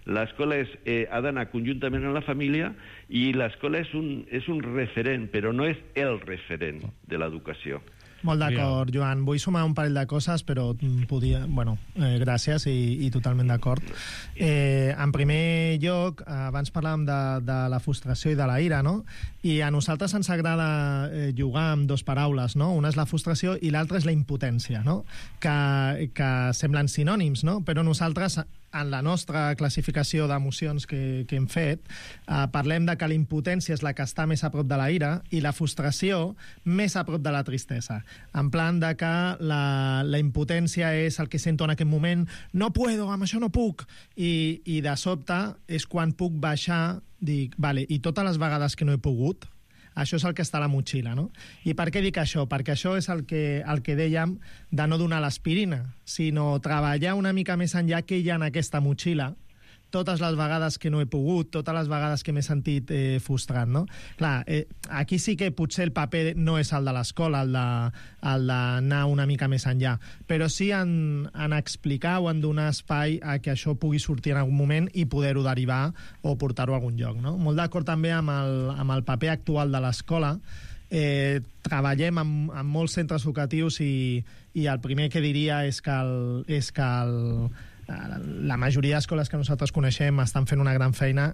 L'escola ha d'anar conjuntament amb la família i l'escola és un referent, però no és el referent de l'educació. Molt d'acord, Joan. Vull sumar un parell de coses, però podia... Bueno, gràcies i totalment d'acord. En primer lloc, abans parlàvem de la frustració i de la ira, no? I a nosaltres ens agrada jugar amb dues paraules, no? Una és la frustració i l'altra és la impotència, no? Que semblen sinònims, no? Però nosaltres, en la nostra classificació d'emocions que hem fet, parlem de que la impotència és la que està més a prop de la ira i la frustració més a prop de la tristesa. En plan de que la impotència és el que sento en aquest moment, no puedo, amb això no puc, i de sobte és quan puc baixar, dic, vale, i totes les vegades que no he pogut, això és el que està a la motxilla, no? I per què dic això? Perquè això és el que dèiem de no donar l'aspirina, sinó treballar una mica més enllà que hi ha en aquesta motxilla, totes les vegades que no he pogut, totes les vegades que m'he sentit frustrat, no? Clar, aquí sí que potser el paper no és el de l'escola, el d'anar una mica més enllà, però sí en explicar o en donar espai a que això pugui sortir en algun moment i poder-ho derivar o portar-ho a algun lloc, no? Molt d'acord també amb el paper actual de l'escola. Treballem en molts centres educatius i el primer que diria és que la majoria d'escoles que nosaltres coneixem estan fent una gran feina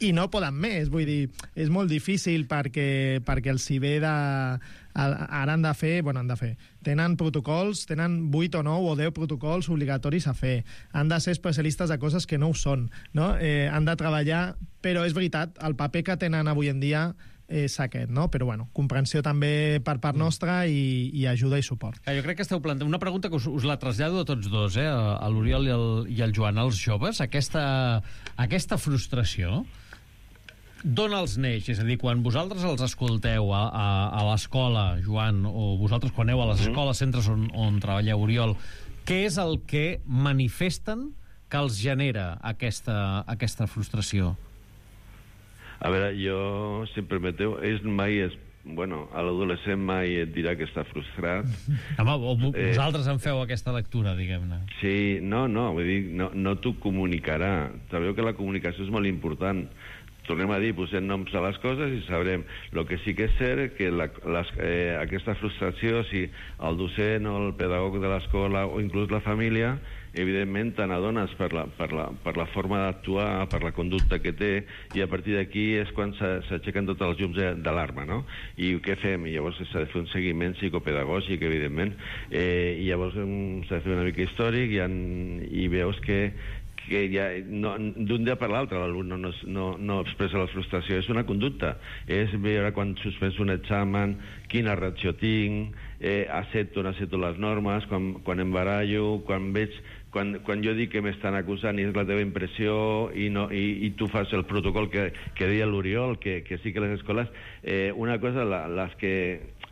i no poden més, vull dir, és molt difícil perquè els hi ve ara han de fer, tenen protocols, tenen 8 o 9 o 10 protocols obligatoris a fer, han de ser especialistes de coses que no ho són, no? Han de treballar, però és veritat, el paper que tenen avui en dia és aquest, no? Però bueno, comprensió també per part nostra i ajuda i suport. Jo crec que esteu plantant una pregunta que us la trasllado a tots dos, a l'Oriol i al Joan, als joves, aquesta frustració d'on els neix? És a dir, quan vosaltres els escolteu a l'escola, Joan, o vosaltres quan aneu a les escoles, centres on treballeu, Oriol, què és el que manifesten que els genera aquesta frustració? A veure, jo, si em permeteu, a l'adolescent mai et dirà que està frustrat. Home, vosaltres en feu aquesta lectura, diguem-ne. Sí, no, vull dir, no t'ho comunicarà. Sabeu que la comunicació és molt important. Tornem a dir, posem noms a les coses i sabrem. El que sí que és cert que aquesta frustració, si el docent o el pedagog de l'escola o inclús la família, evidentment te n'adones per la forma d'actuar, per la conducta que té, i a partir d'aquí és quan s'aixequen tots els llums d'alarma, no? I què fem? I llavors s'ha de fer un seguiment psicopedagògic, evidentment, i llavors s'ha de fer una mica històric i veus que ja d'un dia per l'altre l'alumne no expressa la frustració, és una conducta, és veure quan suspens un examen, quina reacció tinc, accepto o no accepto les normes, quan em barallo, quan jo dic que m'estan acusant i és la teva impressió i tu fas el protocol que deia l'Oriol, que sí que les escoles, una cosa, les que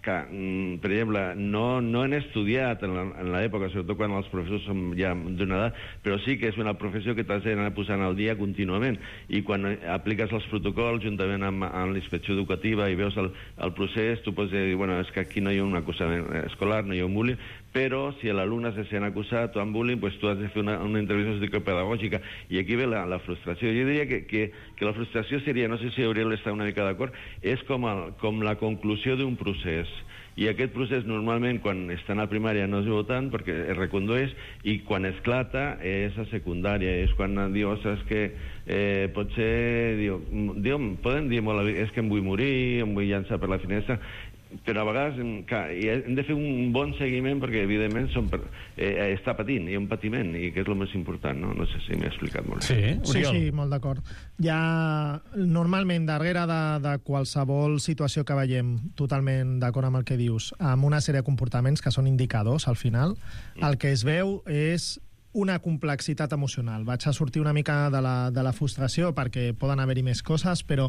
per exemple, no han estudiat en l'època, sobretot quan els professors són ja d'una edat, però sí que és una professió que t'has d'anar posant al dia contínuament, i quan apliques els protocols juntament amb la inspecció educativa i veus el procés, tu pots dir, bueno, és que aquí no hi ha un acusament escolar, no hi ha un bullying, però si l'alumne se sent acusat o amb bullying, pues tu has de fer una intervenció psicopedagògica, i aquí ve la frustració. Jo diria que la frustració seria, no sé si Oriol està una mica d'acord, és com la conclusió d'un procés, i aquest procés normalment quan estan a primària no es veu tant perquè es recondueix, i quan esclata és a secundària, és quan diu, saps que potser poden dir molt, és que em vull morir, em vull llançar per la finestra, però a vegades hem de fer un bon seguiment perquè evidentment està patint, hi ha un patiment, i que és el més important, no? No sé si m'he explicat molt bé. Sí, molt d'acord. Normalment darrere de qualsevol situació que veiem, totalment d'acord amb el que dius, amb una sèrie de comportaments que són indicadors al final, el que es veu és una complexitat emocional. Vaig a sortir una mica de la frustració perquè poden haver-hi més coses, però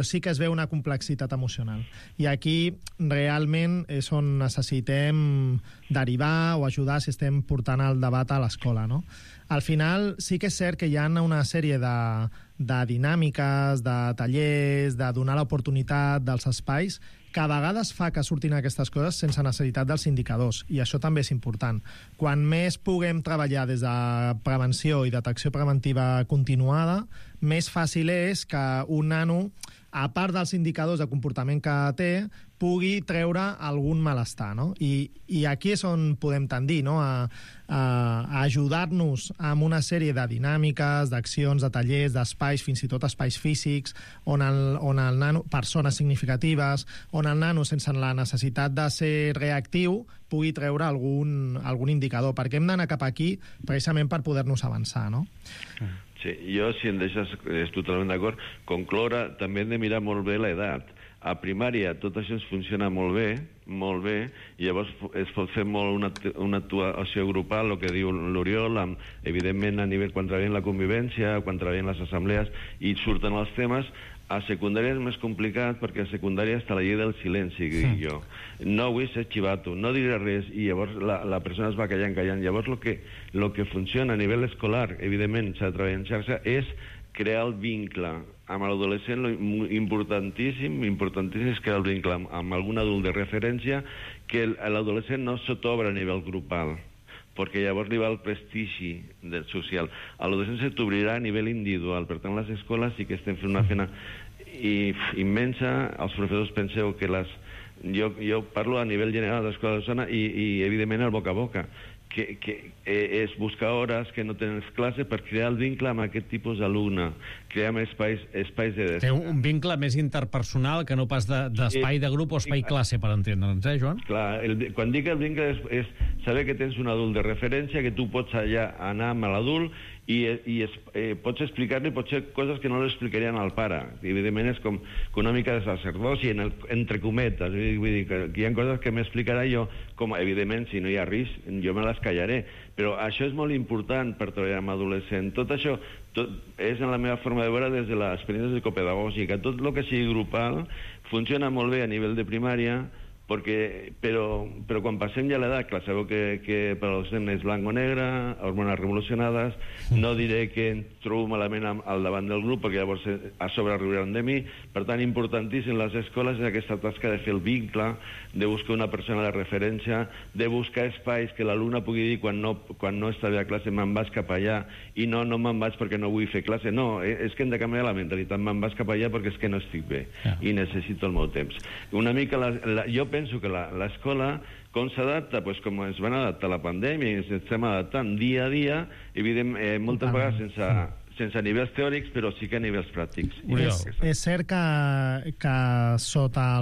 sí que es veu una complexitat emocional. I aquí realment és on necessitem derivar o ajudar si estem portant el debat a l'escola, no? al final sí que és cert que hi ha una sèrie de dinàmiques, de tallers, de donar l'oportunitat dels espais, que a vegades fa que surtin aquestes coses sense necessitat dels indicadors, i això també és important. Quan més puguem treballar des de prevenció i detecció preventiva continuada, més fàcil és que un nano, a part dels indicadors de comportament que té, pugui treure algun malestar, no? I aquí és on podem tendir, no? a ajudar-nos amb una sèrie de dinàmiques, d'accions, de tallers, d'espais, fins i tot espais físics, on el nano, persones significatives, on el nano, sense la necessitat de ser reactiu, pugui treure algun indicador, perquè hem d'anar cap aquí precisament per poder-nos avançar, no? Sí, jo, si em deixes, és totalment d'acord. Concloure, també hem de mirar molt bé l'edat. A primària tot això funciona molt bé, i llavors es pot fer molt una actuació grupal, el que diu l'Oriol, evidentment a nivell quan treballen la convivència, quan treballen les assemblees, i surten els temes. A secundària és més complicat, perquè a secundària està la llei del silenci, que dic jo. No vull ser xivato, no diré res, i llavors la persona es va callant. Llavors el que funciona a nivell escolar, evidentment s'ha de treballar en xarxa, és crear el vincle amb l'adolescent. Importantíssim és crear el vincle amb algun adult de referència, que l'adolescent no s'obre a nivell grupal, perquè llavors li va el prestigi social. A l'adolescència t'obrirà a nivell individual. Per tant, les escoles sí que estem fent una feina immensa. Els professors penseu que jo parlo a nivell general de l'escola de zona i evidentment el boca a boca, que és buscar hores que no tens classe per crear el vincle amb aquest tipus d'alumne, crear espais de... Té un vincle més interpersonal que no pas d'espai de grup o espai classe, per entendre'ns, Joan? Clar, quan dic el vincle és saber que tens un adult de referència, que tu pots allà anar amb l'adult i pots explicar-li potser coses que no li explicarien al pare. Evidentment és com una mica de sacerdoci, entre cometes. Vull dir que hi ha coses que m'explicarà jo, com evidentment si no hi ha risc jo me les callaré, però això és molt important per treballar amb adolescent. Tot això és en la meva forma de veure des de l'experiència psicopedagògica. Tot el que sigui grupal funciona molt bé a nivell de primària, però quan passem ja a l'edat, clar, sabeu que per als nens és blanc o negre, hormones revolucionades, no diré que em trobo malament al davant del grup, perquè llavors a sobre riuran de mi. Per tant, importantíssim les escoles és aquesta tasca de fer el vincle, de buscar una persona de referència, de buscar espais que l'alumne pugui dir quan no està bé a classe me'n vas cap allà, i no me'n vaig perquè no vull fer classe. No, és que hem de canviar la mentalitat, me'n vas cap allà perquè és que no estic bé i necessito el meu temps. Una mica jo penso que l'escola, com s'adapta? Doncs com es van adaptar a la pandèmia, i ens estem adaptant dia a dia, evidentment, moltes vegades sense nivells teòrics, però sí que a nivells pràctics. És cert que sota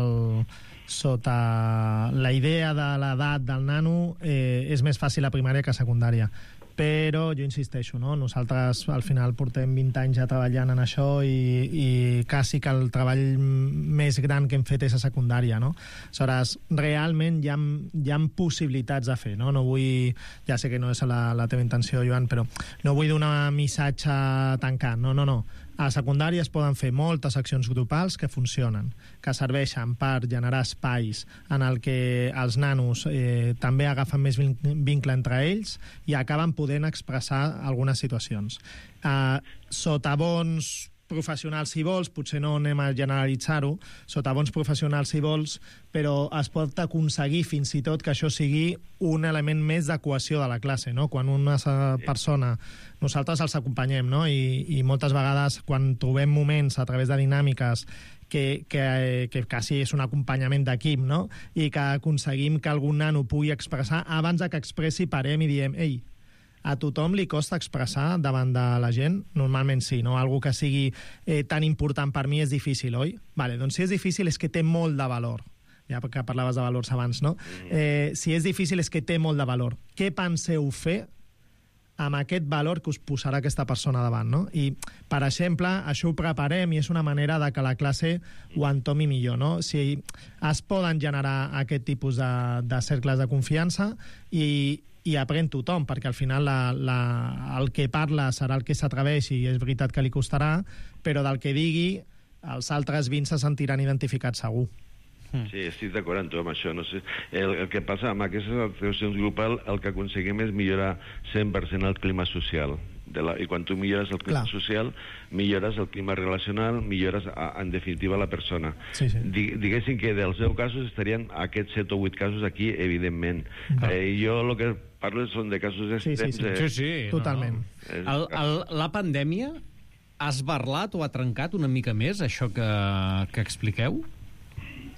la idea de l'edat del nano és més fàcil a primària que a secundària. Però jo insisteixo, no? Nosaltres al final portem 20 anys ja treballant en això i quasi que el treball més gran que hem fet és a secundària, no? Aleshores, realment hi ha possibilitats de fer, no? No vull, ja sé que no és la teva intenció, Joan, però no vull donar missatge tancat, no. A secundària es poden fer moltes accions grupals que funcionen, que serveixen per generar espais en el que els nanos també agafen més vincle entre ells i acaben podent expressar algunes situacions. Sota bons professionals, si vols, potser no anem a generalitzar-ho, sota bons professionals, si vols, però es pot aconseguir fins i tot que això sigui un element més de cohesió de la classe, no? Quan una persona... Nosaltres els acompanyem, no? I moltes vegades, quan trobem moments a través de dinàmiques que quasi és un acompanyament d'equip, no? I que aconseguim que algun nano pugui expressar, abans que expressi, parem i diem, ei, a tothom li costa expressar davant de la gent? Normalment sí, no? Algo que sigui tan important per mi és difícil, oi? Vale, doncs si és difícil és que té molt de valor. Ja que parlaves de valors abans, no? Si és difícil és que té molt de valor. Què penseu fer amb aquest valor que us posarà aquesta persona davant, no? I, per exemple, això ho preparem i és una manera de que la classe ho entomi millor, no? Si es poden generar aquest tipus de cercles de confiança i aprèn tothom, perquè al final el que parla serà el que s'atreveix i és veritat que li costarà, però del que digui els altres 20 se sentiran identificats segur. Sí, estic d'acord amb tu amb això. No sé. El que passa amb aquestes actuacions grupals, el que aconseguim és millorar 100% el clima social. I quan tu millores el clima social, millores el clima relacional, millores, en definitiva, la persona. Sí. Diguéssim que dels 10 casos estarien aquests 7 o 8 casos aquí, evidentment. Jo el que parlo són de casos extrems. Sí. Totalment. La pandèmia ha esbarlat o ha trencat una mica més això que expliqueu?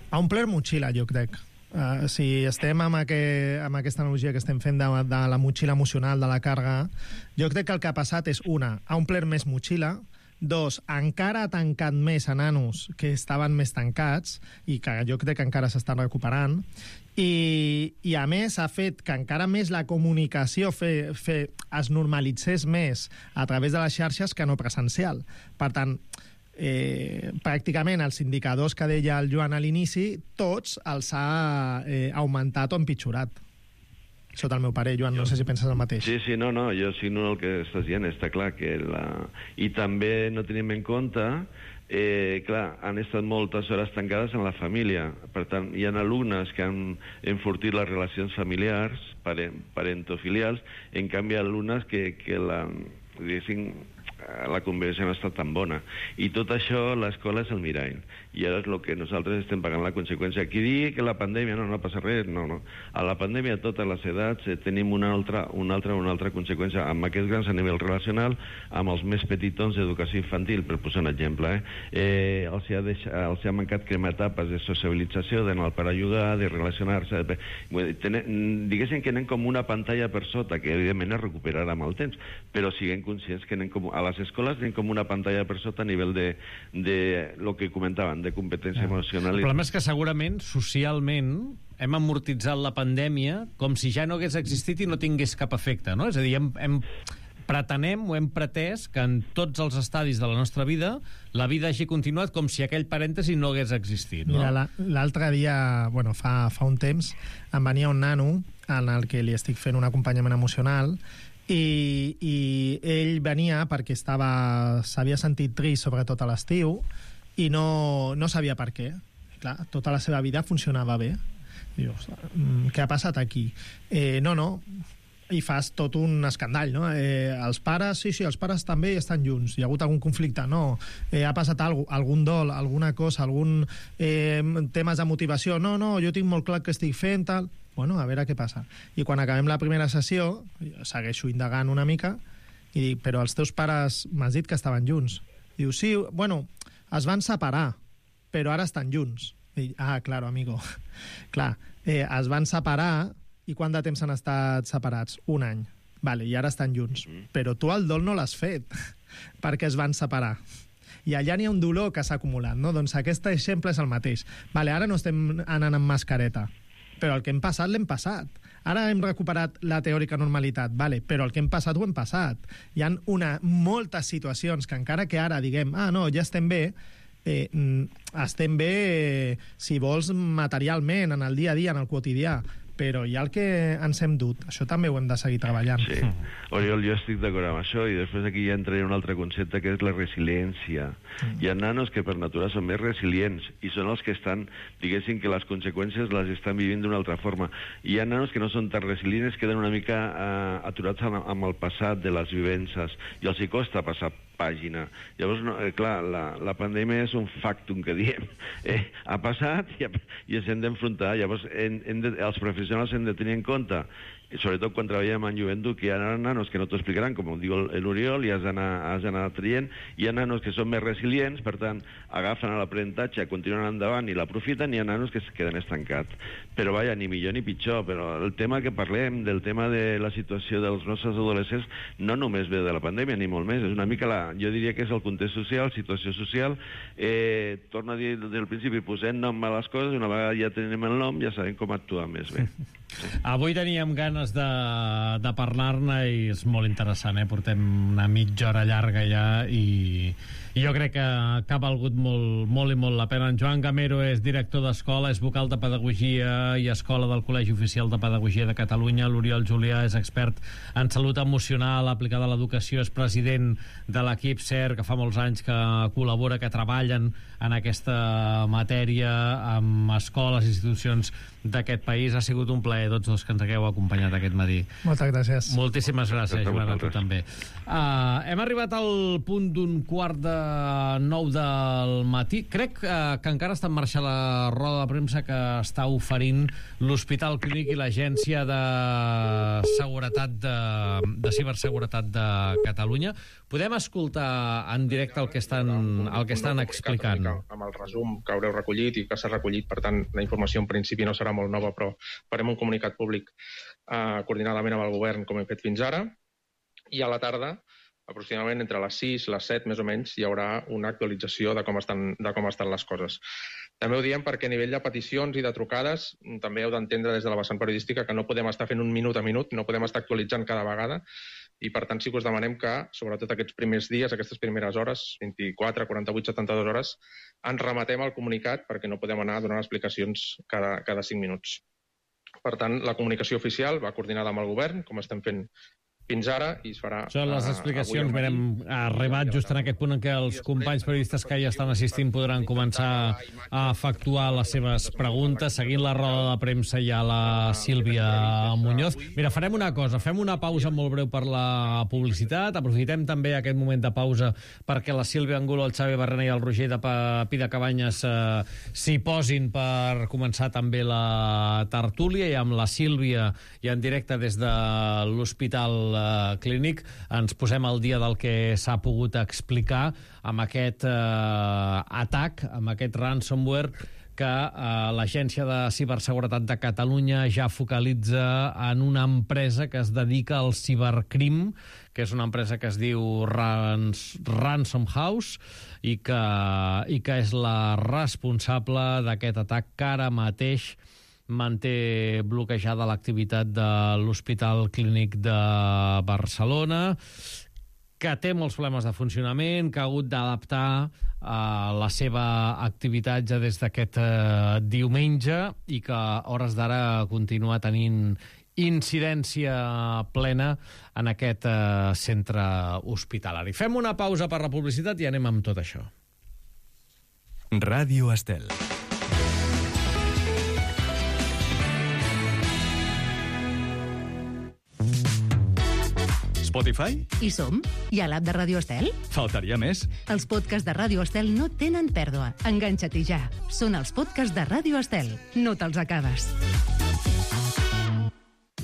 Ha omplert motxilla, jo crec. Si estem amb aquesta analogia que estem fent de la motxilla emocional, de la càrrega, jo crec que el que ha passat és, una, ha omplert més motxilla, dos, encara ha tancat més a nanos que estaven més tancats i que jo crec que encara s'estan recuperant, i a més ha fet que encara més la comunicació es normalitzés més a través de les xarxes que no presencial. Per tant, pràcticament els indicadors que deia el Joan a l'inici, tots els ha augmentat o empitjorat. Sota el meu parer, Joan, no sé si penses el mateix. Sí, no, jo signo el que estàs dient, està clar que I també no tenim en compte, clar, han estat moltes hores tancades en la família, per tant, hi ha alumnes que han enfortit les relacions familiars, parentofilials, en canvi alumnes que la convivència no ha estat tan bona. I tot això, l'escola és el mirall. I ara és el que nosaltres estem pagant la conseqüència. Qui digui que la pandèmia no passa res, no. A la pandèmia, a totes les edats, tenim una altra conseqüència. Amb aquests grans a nivell relacional, amb els més petitons d'educació infantil, per posar un exemple, els ha mancat cremar etapes de socialització, d'anar al parc a jugar, de relacionar-se. Diguéssim que anem com una pantalla per sota, que evidentment es recuperarà amb el temps, però siguem conscients que anem com a les escoles tenim com una pantalla per sota a nivell de lo que comentaven, de competència emocional. El problema és que segurament, socialment, hem amortitzat la pandèmia com si ja no hagués existit i no tingués cap efecte, no? És a dir, pretenem o hem pretès que en tots els estadis de la nostra vida la vida hagi continuat com si aquell parèntesi no hagués existit, no? Mira, l'altre dia, fa un temps, em venia un nano en el que li estic fent un acompanyament emocional i ell venia perquè s'havia sentit trist, sobretot a l'estiu, i no sabia per què. Clar, tota la seva vida funcionava bé. Dius, què ha passat aquí? No, i fas tot un escandall, no? Els pares, sí, els pares també estan junts. Hi ha hagut algun conflicte? No. Ha passat algun dol, alguna cosa, algun temes de motivació? No, jo tinc molt clar que estic fent, tal. Bueno, a veure què passa. I quan acabem la primera sessió, segueixo indagant una mica, i dic, però els teus pares m'has dit que estaven junts. Diu, sí, es van separar, però ara estan junts. I dic, claro, amigo. Clar, es van separar, i quant de temps han estat separats? 1 any. Vale, i ara estan junts. Però tu el dol no l'has fet, perquè es van separar. I allà n'hi ha un dolor que s'ha acumulat, no? Doncs aquest exemple és el mateix. Vale, ara no estem anant amb mascareta, però el que hem passat l'hem passat. Ara hem recuperat la teòrica normalitat, vale, però el que hem passat ho hem passat. Hi ha moltes situacions que encara que ara diguem, ja estem bé, estem bé, si vols, materialment, en el dia a dia, en el quotidià, però hi ha el que ens hem dut. Això també ho hem de seguir treballant. Sí. Oriol, jo estic d'acord amb això, i després aquí ja entraré en un altre concepte, que és la resiliència. Hi ha nanos que per natura són més resilients, i són els que estan, diguéssim, que les conseqüències les estan vivint d'una altra forma. Hi ha nanos que no són tan resilients, queden una mica aturats amb el passat de les vivències, i els hi costa passar pàgina. Llavors, clar, la pandèmia és un factum que diem. Ha passat i ens hem d'enfrontar. Llavors, els professionals hem de tenir en compte, sobretot quan treballem en joventut, que hi ha nanos que no t'ho explicaran, com diu l'Oriol, i has d'anar traient. Hi ha nanos que són més resilients, per tant, agafen l'aprenentatge, continuen endavant i l'aprofiten, i hi ha nanos que es queden estancats. Però, vaja, ni millor ni pitjor, però el tema que parlem, del tema de la situació dels nostres adolescents, no només ve de la pandèmia, ni molt més, és una mica jo diria que és el context social, situació social. Torno a dir des del principi, posem nom a les coses, una vegada ja tenim el nom, ja sabem com actuar més bé. Avui teníem ganes de parlar-ne i és molt interessant, Portem una mitja hora llarga ja i jo crec que ha valgut molt i molt la pena. En Joan Gamero és director d'escola, és vocal de Pedagogia i Escola del Col·legi Oficial de Pedagogia de Catalunya. L'Oriol Julià és expert en salut emocional aplicada a l'educació, és president de l'equip CER, que fa molts anys que col·labora, que treballen en aquesta matèria amb escoles i institucions d'aquest país. Ha sigut un plaer, tots dos, que ens hagueu acompanyat aquest matí. Moltes gràcies. Moltíssimes gràcies, Joan, a tu també. Hem arribat al punt d'un 8:45 del matí. Crec que encara està en marxa la roda de premsa que està oferint l'Hospital Clínic i l'Agència de Seguretat de Ciberseguretat de Catalunya. Podem escoltar en directe el que estan explicant. Amb el resum que haureu recollit i que s'ha recollit, per tant, la informació en principi no serà molt nova, però farem un comunicat públic coordinadament amb el govern, com hem fet fins ara, i a la tarda, aproximadament entre les 6 i les 7, més o menys, hi haurà una actualització de com estan les coses. També ho diem perquè a nivell de peticions i de trucades també heu d'entendre des de la vessant periodística que no podem estar fent un minut a minut, no podem estar actualitzant cada vegada, i per tant sí que us demanem que, sobretot aquests primers dies, aquestes primeres hores, 24, 48, 72 hores, ens remetem al comunicat perquè no podem anar donant explicacions cada 5 minuts. Per tant, la comunicació oficial va coordinada amb el govern, com estem fent fins ara, i es farà... Són les explicacions. Hem arribat just en aquest punt en què els companys periodistes que hi estan assistint podran començar a efectuar les seves preguntes. Seguint la roda de premsa hi ha la Sílvia Muñoz. Mira, farem una cosa, fem una pausa molt breu per la publicitat, aprofitem també aquest moment de pausa perquè la Sílvia Angulo, el Xavi Barrena i el Roger de Pi de Cabanyes s'hi posin per començar també la tertúlia, i amb la Sílvia i en directe des de l'Hospital Clínic ens posem al dia del que s'ha pogut explicar amb aquest atac, amb aquest ransomware que l'Agència de Ciberseguretat de Catalunya ja focalitza en una empresa que es dedica al cibercrim, que és una empresa que es diu Ransom House i que és la responsable d'aquest atac que ara mateix manté bloquejada l'activitat de l'Hospital Clínic de Barcelona, que té molts problemes de funcionament, que ha hagut d'adaptar la seva activitat ja des d'aquest diumenge i que a hores d'ara continua tenint incidència plena en aquest centre hospitalari. Fem una pausa per la publicitat i anem amb tot això. Ràdio Estel. Spotify? Hi som? I a l'app de Ràdio Estel? Faltaria més. Els podcasts de Ràdio Estel no tenen pèrdua. Enganxa't-hi ja. Són els podcasts de Ràdio Estel. No te'ls acabes.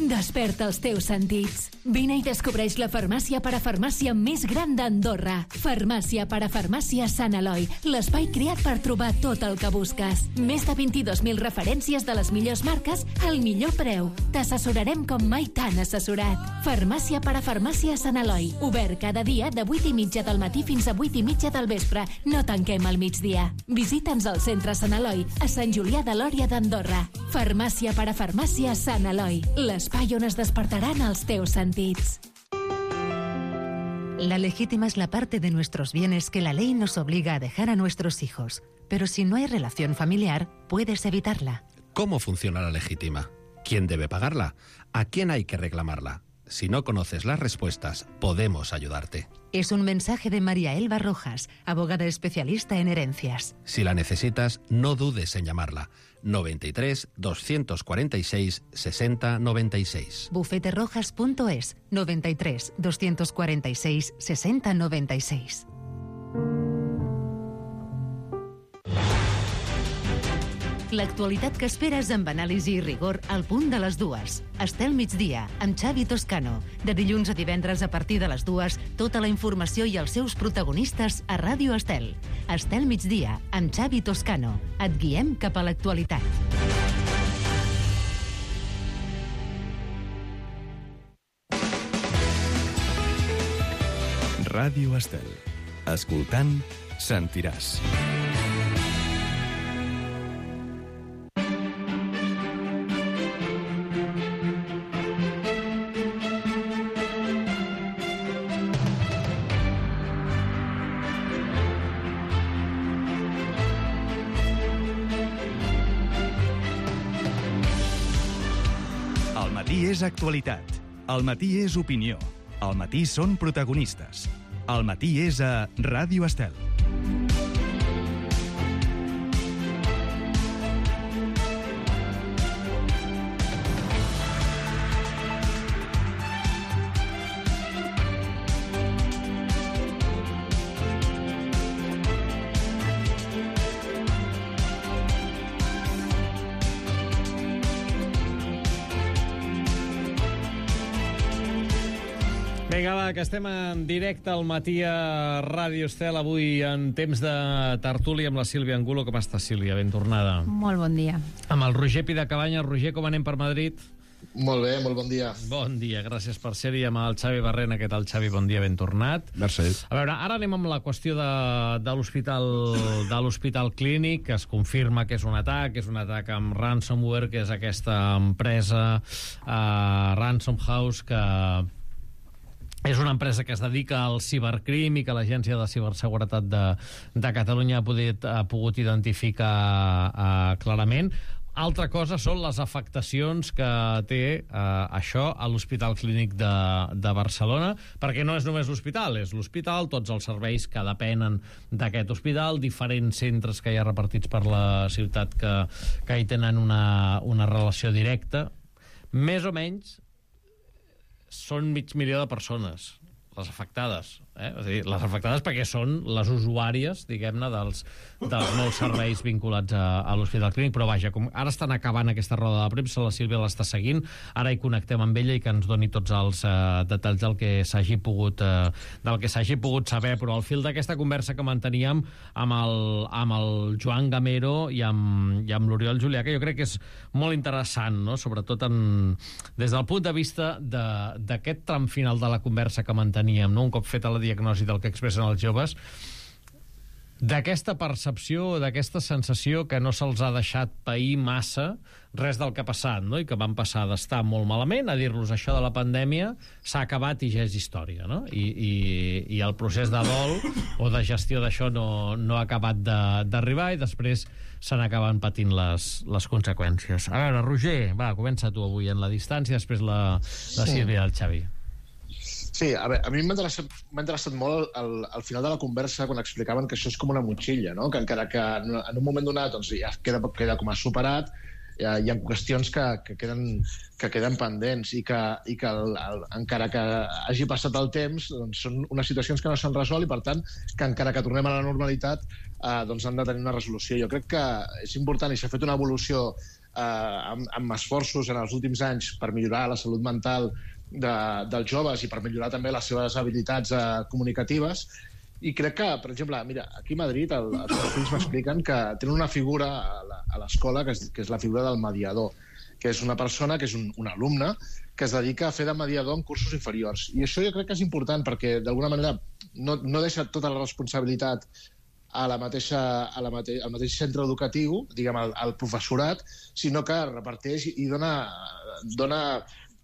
Desperta els teus sentits. Vine i descobreix la farmàcia parafarmàcia més gran d'Andorra. Farmàcia parafarmàcia Sant Eloi, l'espai creat per trobar tot el que busques. Més de 22.000 referències de les millors marques al millor preu. T'assessorarem com mai t'han assessorat. Farmàcia parafarmàcia Sant Eloi, obert cada dia de 8:30 del matí fins a 8:30 del vespre. No tanquem al migdia. Visita'ns al centre Sant Eloi, a Sant Julià de Lòria d'Andorra. Farmàcia parafarmàcia Sant Eloi, l'espai on es despertaran els teus sentits. La legítima es la parte de nuestros bienes que la ley nos obliga a dejar a nuestros hijos. Pero si no hay relación familiar, puedes evitarla. ¿Cómo funciona la legítima? ¿Quién debe pagarla? ¿A quién hay que reclamarla? Si no conoces las respuestas, podemos ayudarte. Es un mensaje de María Elba Rojas, abogada especialista en herencias. Si la necesitas, no dudes en llamarla. 93 246 60 96. Bufeterojas.es 93 246 60 96. L'actualitat que esperes amb anàlisi i rigor al punt de les 2. Estel migdia, amb Xavi Toscano. De dilluns a divendres a partir de les 2, tota la informació i els seus protagonistes a Ràdio Estel. Estel migdia, amb Xavi Toscano. Et guiem cap a l'actualitat. Ràdio Estel. Escoltant, sentiràs. matí és actualitat. Al matí és opinió. Al matí són protagonistes. Al matí és a Ràdio Estel. Vinga, va, que estem en directe al matí a Ràdio Estel, avui en temps de tertúlia amb la Sílvia Angulo. Com estàs, Sílvia? Ben tornada. Molt bon dia. Amb el Roger Pidacabanya. Roger, com anem per Madrid? Molt bé, molt bon dia. Bon dia, gràcies per ser-hi. Amb el Xavi Barrena. Què tal, Xavi? Bon dia, ben tornat. Merci. A veure, ara anem amb la qüestió de l'Hospital Clínic, que es confirma que és un atac amb ransomware, que és aquesta empresa Ransom House, que és una empresa que es dedica al cibercrim i que l'Agència de Ciberseguretat de Catalunya ha pogut identificar clarament. Altra cosa són les afectacions que té això a l'Hospital Clínic de Barcelona, perquè no és només l'hospital, és l'hospital, tots els serveis que depenen d'aquest hospital, diferents centres que hi ha repartits per la ciutat que hi tenen una relació directa. Més o menys són 500.000 de persones, les afectades. És a dir, les afectades perquè són les usuàries, diguem-ne, dels molts serveis vinculats a l'Hospital Clínic, però vaja, com ara estan acabant aquesta roda de premsa, la Sílvia l'està seguint, ara hi connectem amb ella i que ens doni tots els detalls del que s'hagi pogut saber, però al fil d'aquesta conversa que manteníem amb el Joan Gamero i amb l'Oriol Julià, que jo crec que és molt interessant, no? Sobretot des del punt de vista d'aquest tram final de la conversa que manteníem, no? Un cop feta la diagnosi del que expressen els joves, d'aquesta percepció, d'aquesta sensació que no se'ls ha deixat pair massa res del que ha passat, no? I que van passar d'estar molt malament a dir-los això de la pandèmia s'ha acabat i ja és història, no? I el procés de dol o de gestió d'això no ha acabat d'arribar i després se n'acaben patint les conseqüències. A veure, Roger, va, comença tu avui en la distància, després la Sílvia i el Xavi. Sí, a mi m'ha interessat molt al final de la conversa quan explicaven que això és com una motxilla, no? Que encara que en un moment donat doncs, ja queda com a superat, hi ha qüestions que queden pendents i que encara que hagi passat el temps doncs són unes situacions que no s'han resolt i per tant que encara que tornem a la normalitat doncs han de tenir una resolució. Jo crec que és important i s'ha fet una evolució amb esforços en els últims anys per millorar la salut mental dels joves i per millorar també les seves habilitats comunicatives. I crec que, per exemple, mira, aquí a Madrid els meus fills m'expliquen que tenen una figura a l'escola que és la figura del mediador, que és una persona, que és un alumne, que es dedica a fer de mediador en cursos inferiors. I això jo crec que és important perquè, d'alguna manera, no deixa tota la responsabilitat al mateix centre educatiu, diguem, al professorat, sinó que reparteix i dona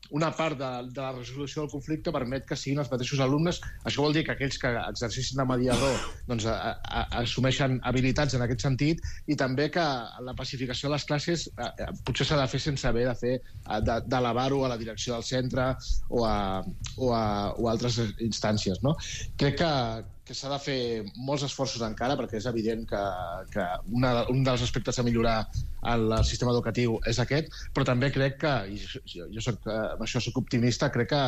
una part de la resolució del conflicte, permet que siguin els mateixos alumnes. Això vol dir que aquells que exerceixen de mediador doncs, assumeixen habilitats en aquest sentit i també que la pacificació de les classes potser s'ha de fer sense haver d'elevar-ho a la direcció del centre o a altres instàncies, no? Crec que s'ha de fer molts esforços encara, perquè és evident que un dels aspectes a millorar al sistema educatiu és aquest, però també crec que, i jo amb això soc optimista, crec que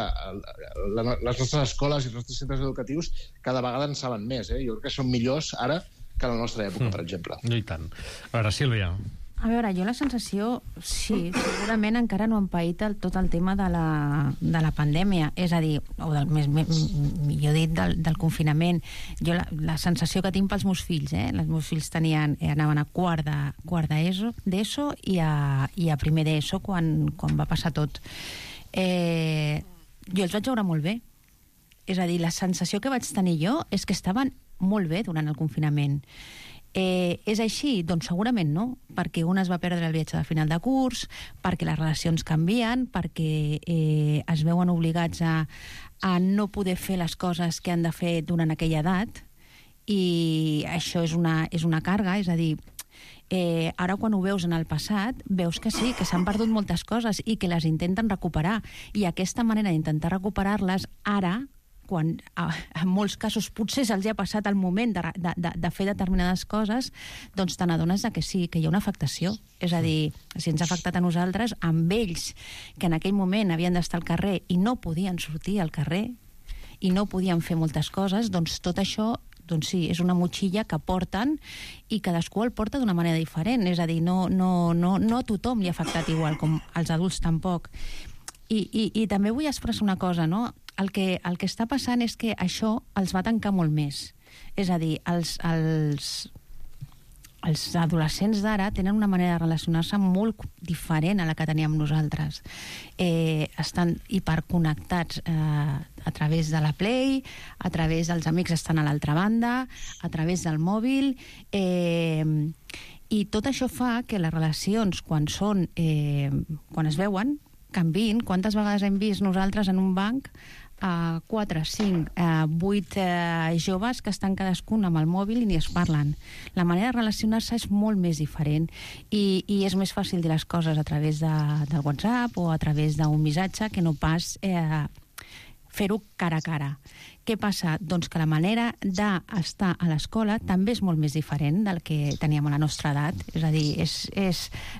les nostres escoles i els nostres centres educatius cada vegada en saben més. Jo crec que són millors ara que en la nostra època, per exemple. I tant. A veure, Sílvia. A veure, jo la sensació, sí, segurament encara no han paït tot el tema de la pandèmia, és a dir, o millor dit, del confinament. Jo la sensació que tinc pels meus fills, els meus fills anaven a quart d'ESO i a primer d'ESO quan va passar tot. Jo els vaig veure molt bé. És a dir, la sensació que vaig tenir jo és que estaven molt bé durant el confinament. És així? Doncs segurament no, perquè un es va perdre el viatge de final de curs, perquè les relacions canvien, perquè es veuen obligats a no poder fer les coses que han de fer durant aquella edat, i això és una càrrega, és a dir, Ara, quan ho veus en el passat, veus que sí, que s'han perdut moltes coses i que les intenten recuperar. I aquesta manera d'intentar recuperar-les, ara, quan en molts casos potser se'ls ha passat el moment de fer determinades coses, doncs te n'adones que sí, que hi ha una afectació. És a dir, si ens ha afectat a nosaltres, amb ells, que en aquell moment havien d'estar al carrer i no podien sortir al carrer i no podien fer moltes coses, doncs tot això, doncs sí, és una motxilla que porten i cadascú el porta d'una manera diferent. És a dir, no a tothom li ha afectat igual, com als adults tampoc. I també vull expressar una cosa, no? El que està passant és que això els va tancar molt més. És a dir, els adolescents d'ara tenen una manera de relacionar-se molt diferent a la que teníem nosaltres. Estan hiperconnectats a través de la Play, a través dels amics estan a l'altra banda, a través del mòbil, i tot això fa que les relacions, quan es veuen, canviïn. Quantes vegades hem vist nosaltres en un banc 4, 5, 8 joves que estan cadascun amb el mòbil i ni es parlen. La manera de relacionar-se és molt més diferent i és més fàcil dir les coses a través del WhatsApp o a través d'un missatge que no pas fer-ho cara a cara. Què passa? Doncs que la manera d'estar a l'escola també és molt més diferent del que teníem a la nostra edat. És a dir,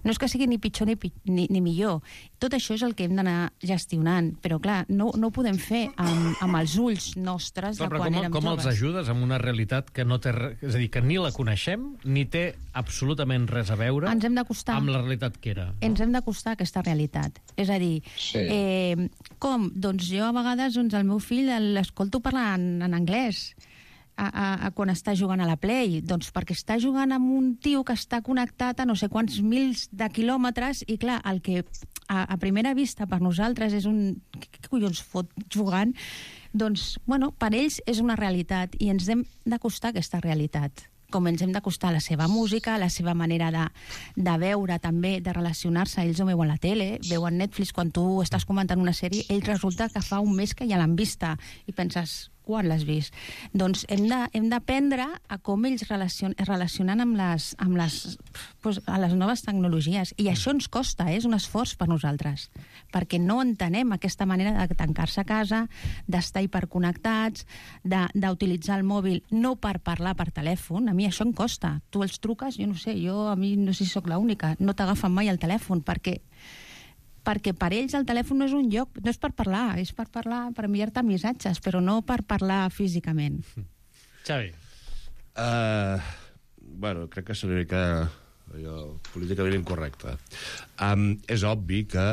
no és que sigui ni pitjor ni millor. Tot això és el que hem d'anar gestionant. Però, clar, no ho podem fer amb els ulls nostres de quan érem joves. Com els ajudes amb una realitat que no té... És a dir, que ni la coneixem, ni té absolutament res a veure amb la realitat que era. Ens hem d'acostar a aquesta realitat. És a dir, com? Doncs jo a vegades el meu fill l'escolto parlar en anglès quan està jugant a la Play, doncs perquè està jugant amb un tio que està connectat a no sé quants mils de quilòmetres i clar, el que a primera vista per nosaltres és un... Què collons fot jugant? Doncs, bueno, per ells és una realitat i ens hem d'acostar a aquesta realitat, com ens hem d'acostar a la seva música, a la seva manera de veure també, de relacionar-se. Ells ho veuen a la tele, veuen Netflix, quan tu estàs comentant una sèrie, ells resulta que fa un mes que ja l'han vista i penses, quan l'has vist? Doncs hem d'aprendre a com ells relacionen amb les noves tecnologies. I això ens costa, és un esforç per nosaltres, perquè no entenem aquesta manera de tancar-se a casa, d'estar hiperconnectats, d'utilitzar el mòbil no per parlar per telèfon. A mi això em costa. Tu els truques, jo no sé, a mi no sé si sóc l'única, no t'agafen mai el telèfon, perquè per ells el telèfon no és un lloc, no és per parlar, és per parlar, per enviar-te missatges, però no per parlar físicament. Xavi. Bueno, crec que seria una mica políticament incorrecte. És obvi que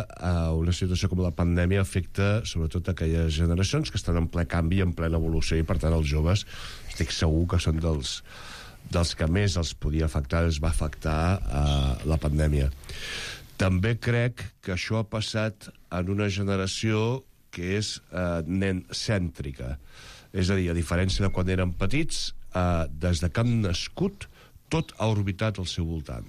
una situació com la pandèmia afecta sobretot aquelles generacions que estan en ple canvi, en plena evolució, i per tant els joves estic segur que són dels que més els podia afectar, els va afectar la pandèmia. També crec que això ha passat en una generació que és nen-cèntrica. És a dir, a diferència de quan eren petits, des de que han nascut, tot ha orbitat al seu voltant.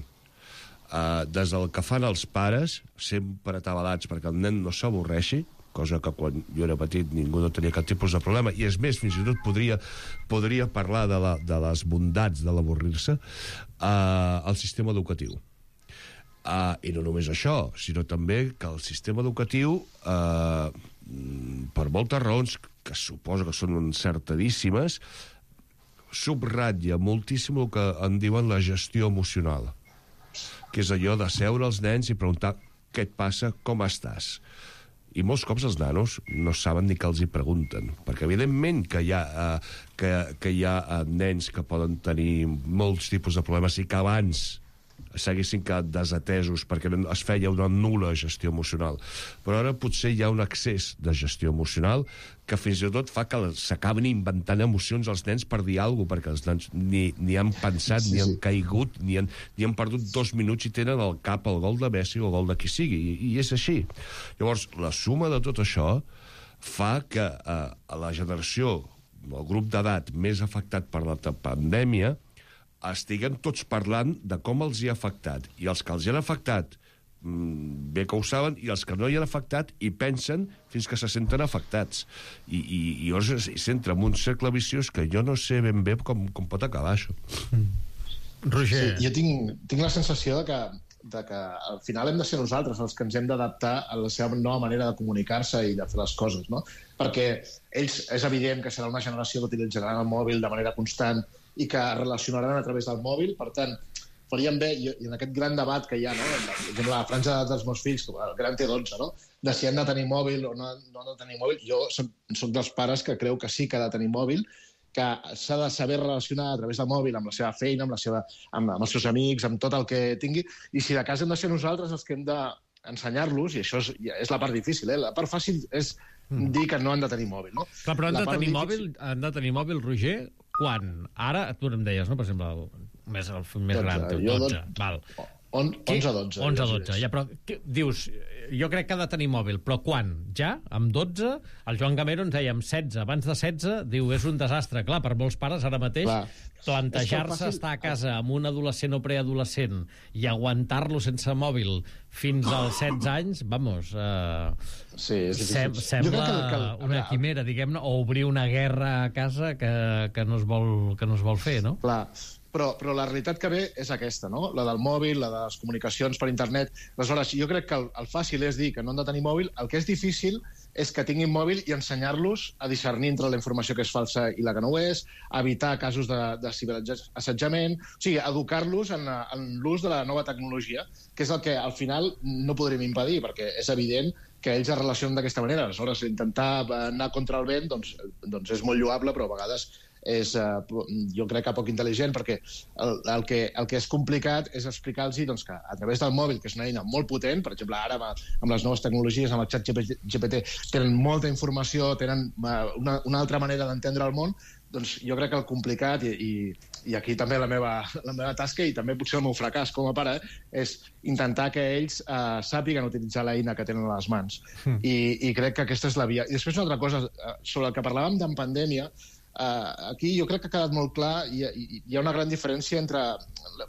Des del que fan els pares, sempre atabalats perquè el nen no s'avorreixi, cosa que quan jo era petit ningú no tenia cap tipus de problema, i és més, fins i tot podria parlar de les bondats de l'avorrir-se, al sistema educatiu. I no només això, sinó també que el sistema educatiu, per moltes raons que suposo que són encertadíssimes, subratlla moltíssim el que en diuen la gestió emocional, que és allò de seure als nens i preguntar què et passa, com estàs. I molts cops els nanos no saben ni què els hi pregunten, perquè evidentment que hi ha nens que poden tenir molts tipus de problemes i que abans s'haguessin quedat desatesos perquè es feia una nul·la gestió emocional. Però ara potser hi ha un excés de gestió emocional que fins i tot fa que s'acaben inventant emocions als nens per dir alguna cosa, perquè els nens ni han pensat, ni han caigut, ni han perdut 2 minuts i tenen al cap el gol de Messi o el gol de qui sigui, i és així. Llavors, la suma de tot això fa que la generació, el grup d'edat més afectat per la pandèmia, estiguem tots parlant de com els hi ha afectat. I els que els hi han afectat, bé que ho saben, i els que no hi han afectat hi pensen fins que se senten afectats. I llavors s'entra en un cercle viciós que jo no sé ben bé com pot acabar això. Roger. Sí, jo tinc la sensació de que al final hem de ser nosaltres els que ens hem d'adaptar a la seva nova manera de comunicar-se i de fer les coses, no? Perquè ells és evident que serà una generació que utilitzaran el mòbil de manera constant i que es relacionaran a través del mòbil, per tant, farien bé, i en aquest gran debat que hi ha, no? Per exemple, la franja d'edat dels meus fills, el gran té 12, no? De si han de tenir mòbil o no han de tenir mòbil. Jo soc dels pares que creu que sí que ha de tenir mòbil, que s'ha de saber relacionar a través del mòbil amb la seva feina, amb els seus amics, amb tot el que tingui, i si de cas hem de ser nosaltres els que hem d'ensenyar-los, i això és la part difícil, La part fàcil és dir que no han de tenir mòbil, no? Clar, però han de tenir mòbil, Roger, quan? Ara, tu em deies, no?, per exemple, el més gran, 12, val. 11-12. 11-12, ja, però dius, jo crec que ha de tenir mòbil, però quan? Ja? Amb 12? El Joan Gamero ens deia amb 16. Abans de 16, diu, és un desastre. Clar, per molts pares ara mateix, plantejar-se estar a casa amb un adolescent o preadolescent i aguantar-lo sense mòbil fins als 16 anys, vamos, sembla una quimera, diguem-ne, o obrir una guerra a casa que no es vol fer, no? Clar. Però la realitat que ve és aquesta, no? La del mòbil, la de les comunicacions per internet. Aleshores, jo crec que el fàcil és dir que no han de tenir mòbil. El que és difícil és que tinguin mòbil i ensenyar-los a discernir entre la informació que és falsa i la que no ho és, evitar casos de ciberassetjament, o sigui, educar-los en l'ús de la nova tecnologia, que és el que al final no podrem impedir, perquè és evident que ells es relacionen d'aquesta manera. Aleshores, intentar anar contra el vent doncs és molt lloable, però a vegades és, jo crec que poc intel·ligent, perquè el que és complicat és explicar-los doncs, que a través del mòbil, que és una eina molt potent, per exemple, ara amb les noves tecnologies, amb el xat GPT, tenen molta informació, tenen una altra manera d'entendre el món, doncs jo crec que el complicat, i aquí també la meva tasca i també potser el meu fracàs com a pare, és intentar que ells sàpiguen utilitzar l'eina que tenen a les mans. I crec que aquesta és la via. I després una altra cosa, sobre el que parlàvem d'en pandèmia, aquí jo crec que ha quedat molt clar, hi ha una gran diferència entre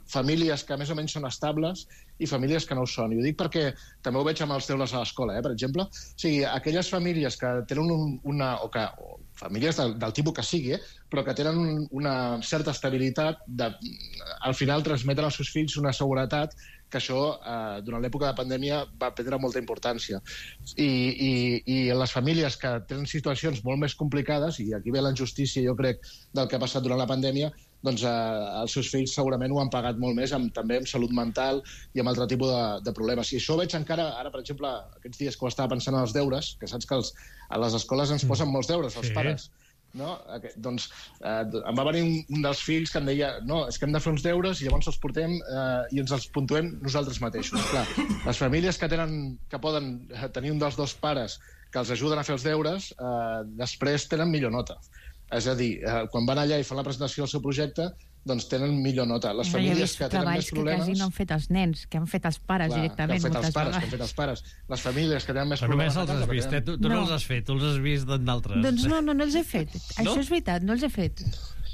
famílies que més o menys són estables i famílies que no ho són. I ho dic perquè també ho veig amb els deures a l'escola, per exemple. O sigui, aquelles famílies que tenen famílies del tipus que sigui, però que tenen una certa estabilitat, al final transmeten als seus fills una seguretat que això, durant l'època de pandèmia, va prendre molta importància. I les famílies que tenen situacions molt més complicades, i aquí ve la injustícia, jo crec, del que ha passat durant la pandèmia, doncs els seus fills segurament ho han pagat molt més, també amb salut mental i amb altre tipus de problemes. I això ho veig encara, ara, per exemple, aquests dies que ho estava pensant en els deures, que saps que a les escoles ens posen molts deures, els pares. No? Doncs em va venir un dels fills que em deia no, és que hem de fer uns deures i llavors els portem i ens els puntuem nosaltres mateixos. Clar, les famílies que poden tenir un dels dos pares que els ajuden a fer els deures després tenen millor nota. És a dir, quan van allà i fan la presentació del seu projecte, doncs tenen millor nota. Les famílies que tenen més problemes... que quasi no han fet els nens, que han fet els pares directament. Que han fet els pares. Les famílies que tenen més problemes... Però només els has vist, tu no els has fet, tu els has vist d'altres. Doncs no els he fet. Això és veritat, no els he fet.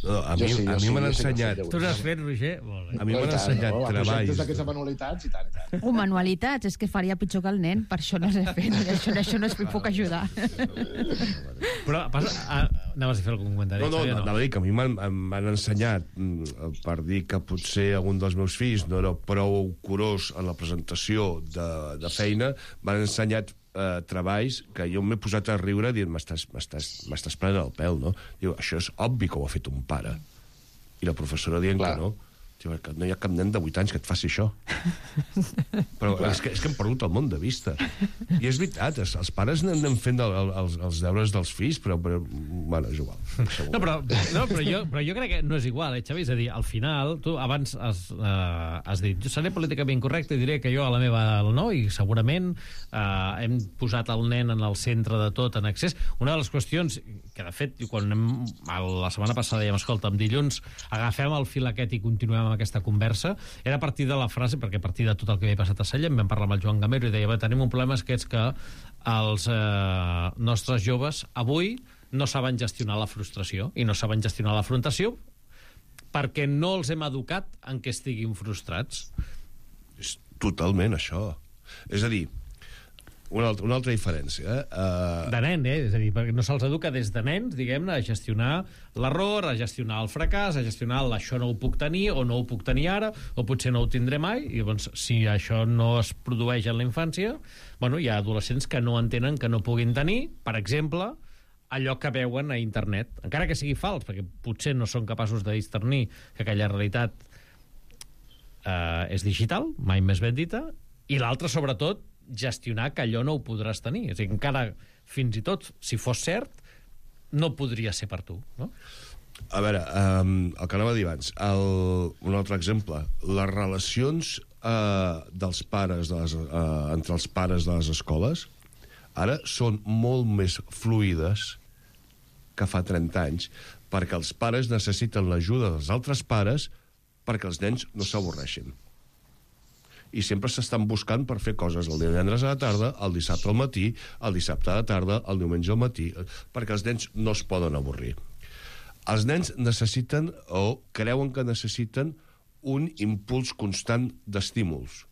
No, a mi m'han ensenyat... Tu n'has fet, Roger? A mi m'han ensenyat treballs... Projectes d'aquests de manualitats i tant. Manualitats, és que faria pitjor que el nen, per això no els he fet. Això no es puc ajudar. Però anaves a fer algun comentari? No, anava a dir que a mi m'han ensenyat, per dir que potser algun dels meus fills no era prou curós en la presentació de feina, m'han ensenyat treballs que jo m'he posat a riure dient m'estàs prenent el pèl, no? Diu, això és obvi que ho ha fet un pare. I la professora dient que no. Diu, que no hi ha cap nen de 8 anys que et faci això. Però és que hem perdut el món de vista. I és veritat, els pares anem fent els deures dels fills, però bueno, és igual. Però jo crec que no és igual, Xavi? És a dir, al final, tu abans has dit, jo seré políticament correcte i diré que jo a la meva no, i segurament hem posat el nen en el centre de tot, en accés. Una de les qüestions que, de fet, quan la setmana passada dèiem, escolta, dilluns agafem el fil aquest i continuem amb aquesta conversa, era a partir de la frase, perquè a partir de tot el que havia passat a Sallent vam parlar amb el Joan Gamero i deia, tenim un problema que és que els nostres joves avui no saben gestionar la frustració i no saben gestionar l'afrontació perquè no els hem educat en què estiguin frustrats. És totalment això. És a dir, una altra diferència. De nen, és a dir, perquè no se'ls educa des de nens, diguem-ne, a gestionar l'error, a gestionar el fracàs, a gestionar això no ho puc tenir, o no ho puc tenir ara, o potser no ho tindré mai, i llavors, si això no es produeix en la infància, bueno, hi ha adolescents que no entenen que no puguin tenir, per exemple, allò que veuen a internet, encara que sigui fals, perquè potser no són capaços de discernir que aquella realitat és digital, mai més ben dita, i l'altre, sobretot, gestionar que allò no ho podràs tenir. És a dir, encara, fins i tot, si fos cert, no podria ser per tu, no? A veure, el que anava a dir abans, un altre exemple, les relacions dels pares entre els pares de les escoles ara són molt més fluides que fa 30 anys, perquè els pares necessiten l'ajuda dels altres pares perquè els nens no s'avorreixin. I sempre s'estan buscant per fer coses el divendres a la tarda, el dissabte al matí, el dissabte a la tarda, el diumenge al matí, perquè els nens no es poden avorrir. Els nens necessiten, o creuen que necessiten, un impuls constant d'estímuls,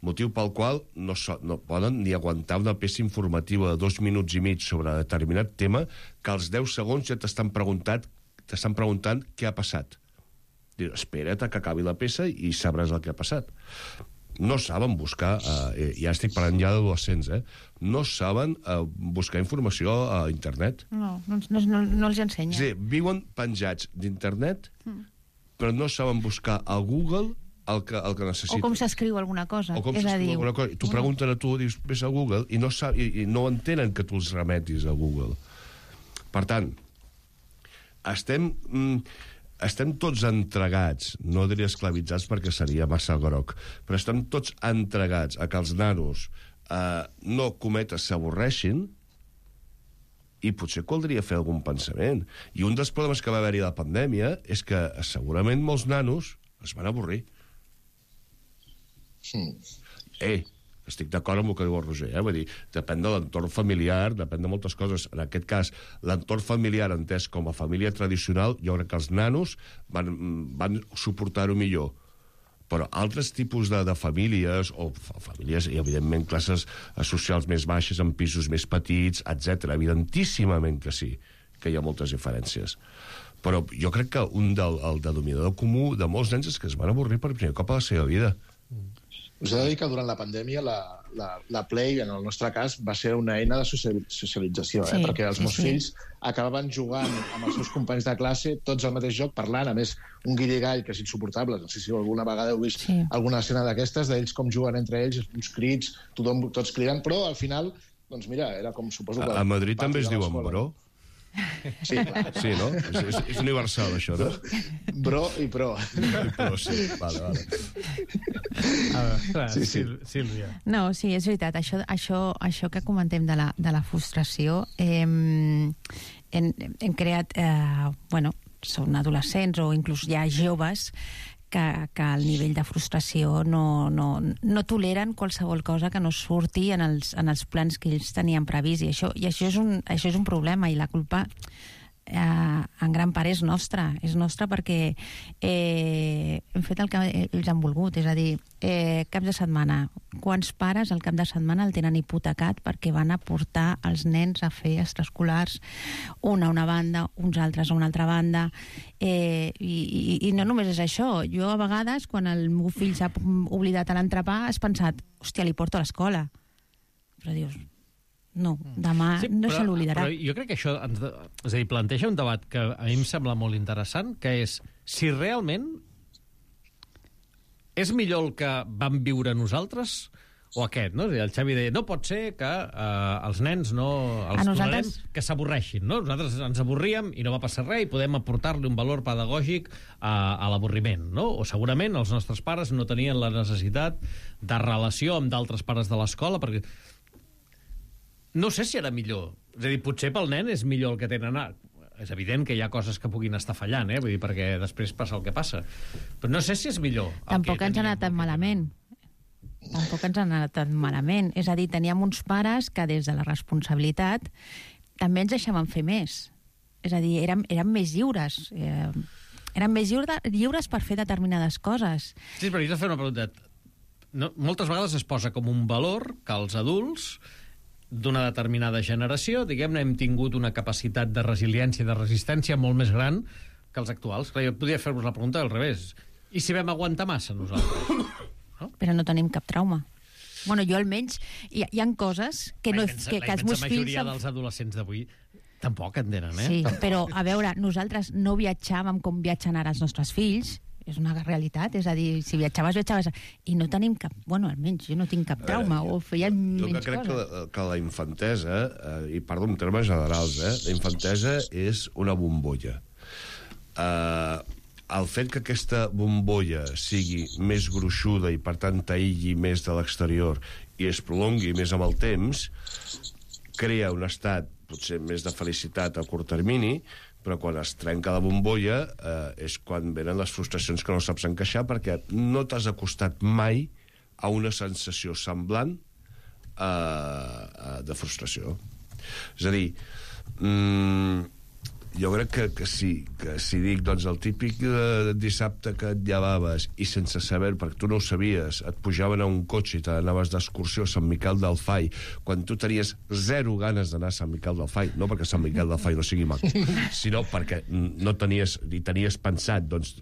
motiu pel qual no poden ni aguantar una peça informativa de 2 minuts i mig sobre determinat tema que als 10 segons ja t'estan preguntant què ha passat. Dius, espera't que acabi la peça i sabràs el que ha passat. No saben buscar, ja estic parlant ja d'adolescents, no saben buscar informació a internet. No els ensenya. És a dir, viuen penjats d'internet, però no saben buscar a Google el que necessiten. O com s'escriu alguna cosa. O com s'escriu alguna cosa. I t'ho pregunten a tu, dius, vés a Google, i no entenen que tu els remetis a Google. Per tant, estem tots entregats, no diria esclavitzats perquè seria massa groc, però estem tots entregats a que els nanos no cometes s'avorreixin, i potser caldria fer algun pensament. I un dels problemes que va haver-hi a la pandèmia és que segurament molts nanos es van avorrir. Estic d'acord amb el que diu el Roger, vull dir, depèn de l'entorn familiar, depèn de moltes coses. En aquest cas, l'entorn familiar entès com a família tradicional, jo crec que els nanos van suportar-ho millor. Però altres tipus de famílies, o famílies, i evidentment classes socials més baixes, en pisos més petits, etc. Evidentíssimament que sí, que hi ha moltes diferències. Però jo crec que el denominador comú de molts nens és que es van avorrir per primer cop a la seva vida. Us he de dir que durant la pandèmia la Play, en el nostre cas, va ser una eina de socialització, perquè els meus fills acabaven jugant amb els seus companys de classe, tots al mateix joc, parlant, a més, un guirigall que és insuportable. No sé si alguna vegada heu vist alguna escena d'aquestes, d'ells com juguen entre ells, uns crits, tots cridant, però al final, doncs mira, era com suposo... A Madrid també es diuen bro. Sí, clar. Sí, no? És universal, això, no? Bro i pro. Sí, vale. Sílvia. No, sí, és veritat. Això que comentem de la frustració, hem creat... són adolescents o inclús ja joves que el nivell de frustració no toleren qualsevol cosa que no surti en els plans que ells tenien previst, i això és un problema, i la culpa en gran part és nostra perquè hem fet el que ells han volgut, és a dir, caps de setmana. Quants pares el cap de setmana el tenen hipotecat perquè van a portar els nens a fer extraescolars, una a una banda, uns altres a una altra banda, i no només és això. Jo a vegades, quan el meu fill s'ha oblidat a l'entrepà, has pensat, hòstia, li porto a l'escola, però dius, no, demà no se l'oblidarà. Però jo crec que això és a dir, planteja un debat que a mi em sembla molt interessant, que és si realment és millor el que vam viure nosaltres o aquest, no? El Xavi deia, no pot ser que els nens tolerem que s'avorreixin, no? Nosaltres ens avorríem i no va passar res i podem aportar-li un valor pedagògic a l'avorriment, no? O segurament els nostres pares no tenien la necessitat de relació amb d'altres pares de l'escola, perquè no sé si era millor. És a dir, potser pel nen és millor el que tenen ara. És evident que hi ha coses que puguin estar fallant, vull dir, perquè després passa el que passa. Però no sé si és millor. Tampoc ens ha anat tan malament. És a dir, teníem uns pares que des de la responsabilitat també ens deixaven fer més. És a dir, érem més lliures. Érem més lliures per fer determinades coses. Sí, però jo t'he de fer una pregunta. Moltes vegades es posa com un valor que els adults d'una determinada generació, diguem-ne, hem tingut una capacitat de resiliència i de resistència molt més gran que els actuals. Clar, jo podria fer-vos la pregunta al revés. I si vam aguantar massa nosaltres? No? Però no tenim cap trauma. Bueno, jo almenys, hi ha coses que, no, que els meus fills... La majoria dels adolescents d'avui tampoc en tenen, Sí, però, a veure, nosaltres no viatjàvem com viatgen ara els nostres fills, és una realitat, és a dir, si viatjaves, i no tenim cap... Bueno, almenys jo no tinc cap trauma, o feien menys coses. Jo crec que la infantesa, i parlo en termes generals, la infantesa és una bombolla. El fet que aquesta bombolla sigui més gruixuda i, per tant, t'aïlli més de l'exterior i es prolongui més amb el temps, crea un estat potser més de felicitat a curt termini, però quan es trenca la bombolla és quan venen les frustracions que no saps encaixar perquè no t'has acostat mai a una sensació semblant de frustració. És a dir, jo crec que si dic, doncs, el típic dissabte que et llevaves i sense saber, perquè tu no ho sabies, et pujaven a un cotxe i t'anaves d'excursió a Sant Miquel del Fai, quan tu tenies zero ganes d'anar a Sant Miquel del Fai, no perquè Sant Miquel del Fai no sigui maco, sinó perquè no tenies, ni tenies pensat, doncs,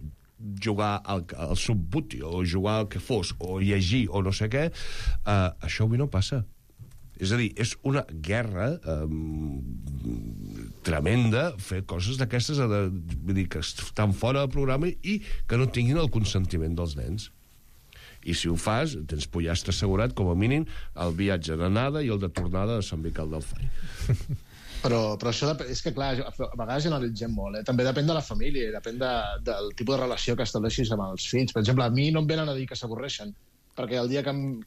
jugar al Subbuti, o jugar al que fos, o llegir, o no sé què, això avui no passa. És a dir, és una guerra tremenda fer coses d'aquestes, vull dir, que estan fora del programa i que no tinguin el consentiment dels nens. I si ho fas, tens pollastre assegurat, com a mínim, el viatge d'anada i el de tornada a Sant Miquel del Fai. Però això és que, clar, a vegades generalitzem molt. També depèn de la família, depèn del tipus de relació que estableixis amb els fills. Per exemple, a mi no em venen a dir que s'avorreixen, perquè el dia que em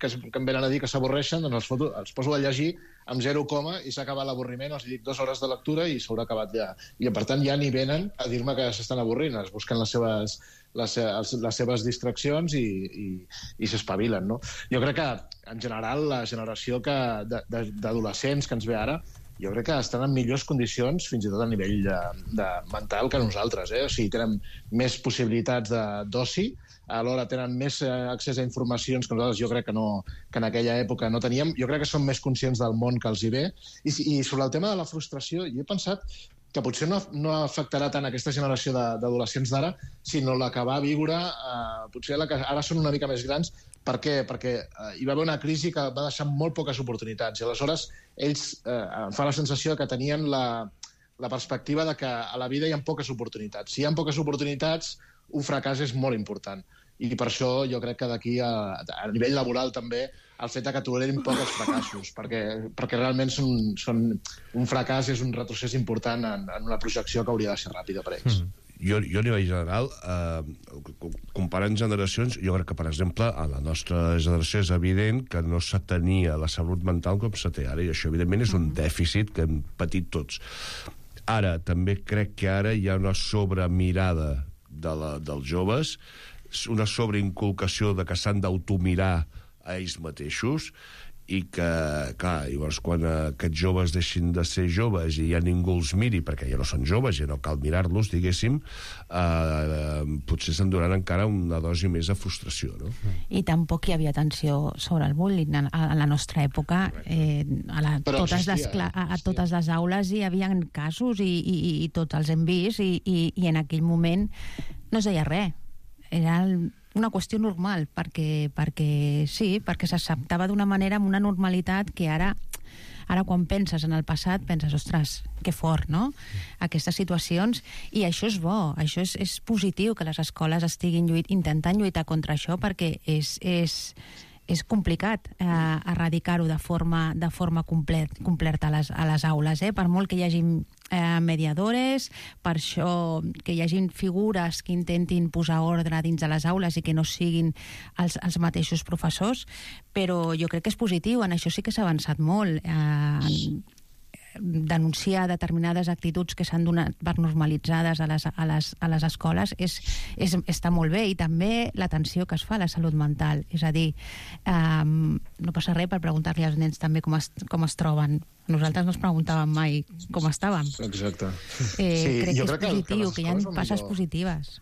venen a dir que s'avorreixen, doncs els poso a llegir amb 0, i s'ha acabat l'avorriment, els dic 2 hores de lectura i s'haurà acabat ja. I, per tant, ja ni venen a dir-me que s'estan avorrint, es busquen les seves distraccions i s'espavilen, no? Jo crec que, en general, la generació d'adolescents que ens ve ara, jo crec que estan en millors condicions, fins i tot a nivell mental, que nosaltres. O sigui, tenen més possibilitats d'oci, alhora tenen més accés a informacions que nosaltres jo crec que en aquella època no teníem. Jo crec que són més conscients del món que els hi ve. I sobre el tema de la frustració, jo he pensat que potser no afectarà tant aquesta generació d'adolescents d'ara, sinó la que va viure, potser la que ara són una mica més grans. Per què? Perquè hi va haver una crisi que va deixar molt poques oportunitats. I aleshores ells em fa la sensació que tenien la perspectiva de que a la vida hi ha poques oportunitats. Si hi ha poques oportunitats, un fracàs és molt important. I per això jo crec que d'aquí, a nivell laboral també, el fet que tolerin poc els fracassos, perquè realment un fracàs és un retrocés important en una projecció que hauria de ser ràpida per ells. Jo a nivell general, comparant generacions, jo crec que, per exemple, a la nostra generació és evident que no se tenia la salut mental com se té ara, i això, evidentment, és un dèficit que hem patit tots. Ara, també crec que ara hi ha una sobremirada dels joves, una sobreinculcació de que s'han d'automirar a ells mateixos, i que, clar, llavors quan aquests joves deixin de ser joves i ja ningú els miri, perquè ja no són joves, ja no cal mirar-los, diguéssim, potser s'enduran encara una dosi més de frustració, no? I tampoc hi havia atenció sobre el bullying. A la nostra època, a totes les aules hi havia casos i tots els hem vist, i en aquell moment no es deia res. Era una qüestió normal, perquè s'acceptava d'una manera, amb una normalitat que ara quan penses en el passat, penses, ostres, que fort, no?, aquestes situacions, i això és bo, això és positiu que les escoles estiguin intentant lluitar contra això, perquè és complicat erradicar-ho de forma completa a les aules, per molt que hi hagi mediadores, per això que hi hagin figures que intentin posar ordre dins de les aules i que no siguin els mateixos professors, però jo crec que és positiu, en això sí que s'ha avançat molt. Denunciar determinades actituds que s'han donat per normalitzades a les escoles està molt bé, i també l'atenció que es fa a la salut mental, és a dir, no passa res per preguntar-li als nens també com es troben. Nosaltres no ens preguntàvem mai com estàvem. Exacte. Crec que és positiu, que hi ha passes positives.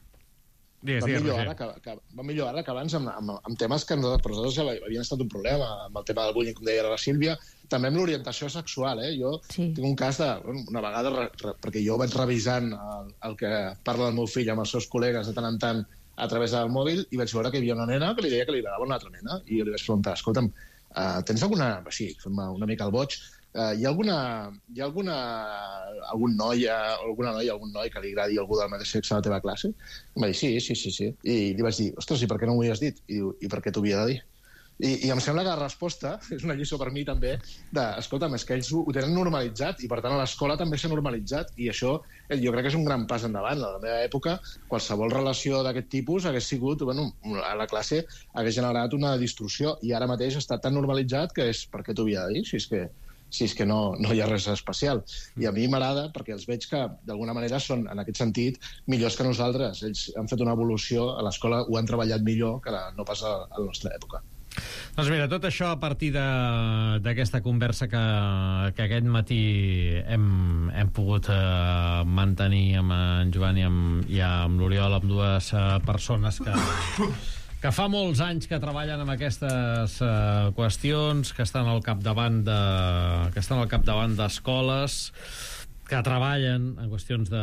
Va millor ara que abans amb temes que nosaltres ja havien estat un problema, amb el tema del bullying, com deia la Sílvia, també amb l'orientació sexual. Jo tinc un cas una vegada, perquè jo vaig revisant el que parla el meu fill amb els seus col·legues de tant en tant a través del mòbil, i vaig veure que hi havia una nena que li deia que li agradava una altra nena, i jo li vaig preguntar, escolta'm, tens alguna... Sí, fem una mica el boig. Hi ha algun noi o alguna noia, algun noi que li agradi algú del mateix sexe a la teva classe? I em va dir, sí. I li vaig dir, ostres, i per què no m'ho havies dit? I diu, i per què t'ho havia de dir? I em sembla que la resposta és una lliçó per mi també escolta'm, és que ells ho tenen normalitzat i per tant a l'escola també s'ha normalitzat, i això jo crec que és un gran pas endavant. A la meva època qualsevol relació d'aquest tipus hagués sigut, a la classe hagués generat una distorsió, i ara mateix està tan normalitzat que és per què t'ho havia de dir, si és que no hi ha res especial. I a mi m'agrada perquè els veig que d'alguna manera són, en aquest sentit, millors que nosaltres. Ells han fet una evolució, a l'escola ho han treballat millor que no pas a la nostra època. Doncs mira, tot això a partir d'aquesta conversa que aquest matí hem pogut mantenir amb en Joan i amb l'Oriol, amb dues persones que fa molts anys que treballen amb aquestes qüestions, que estan al capdavant d'escoles, que treballen en qüestions de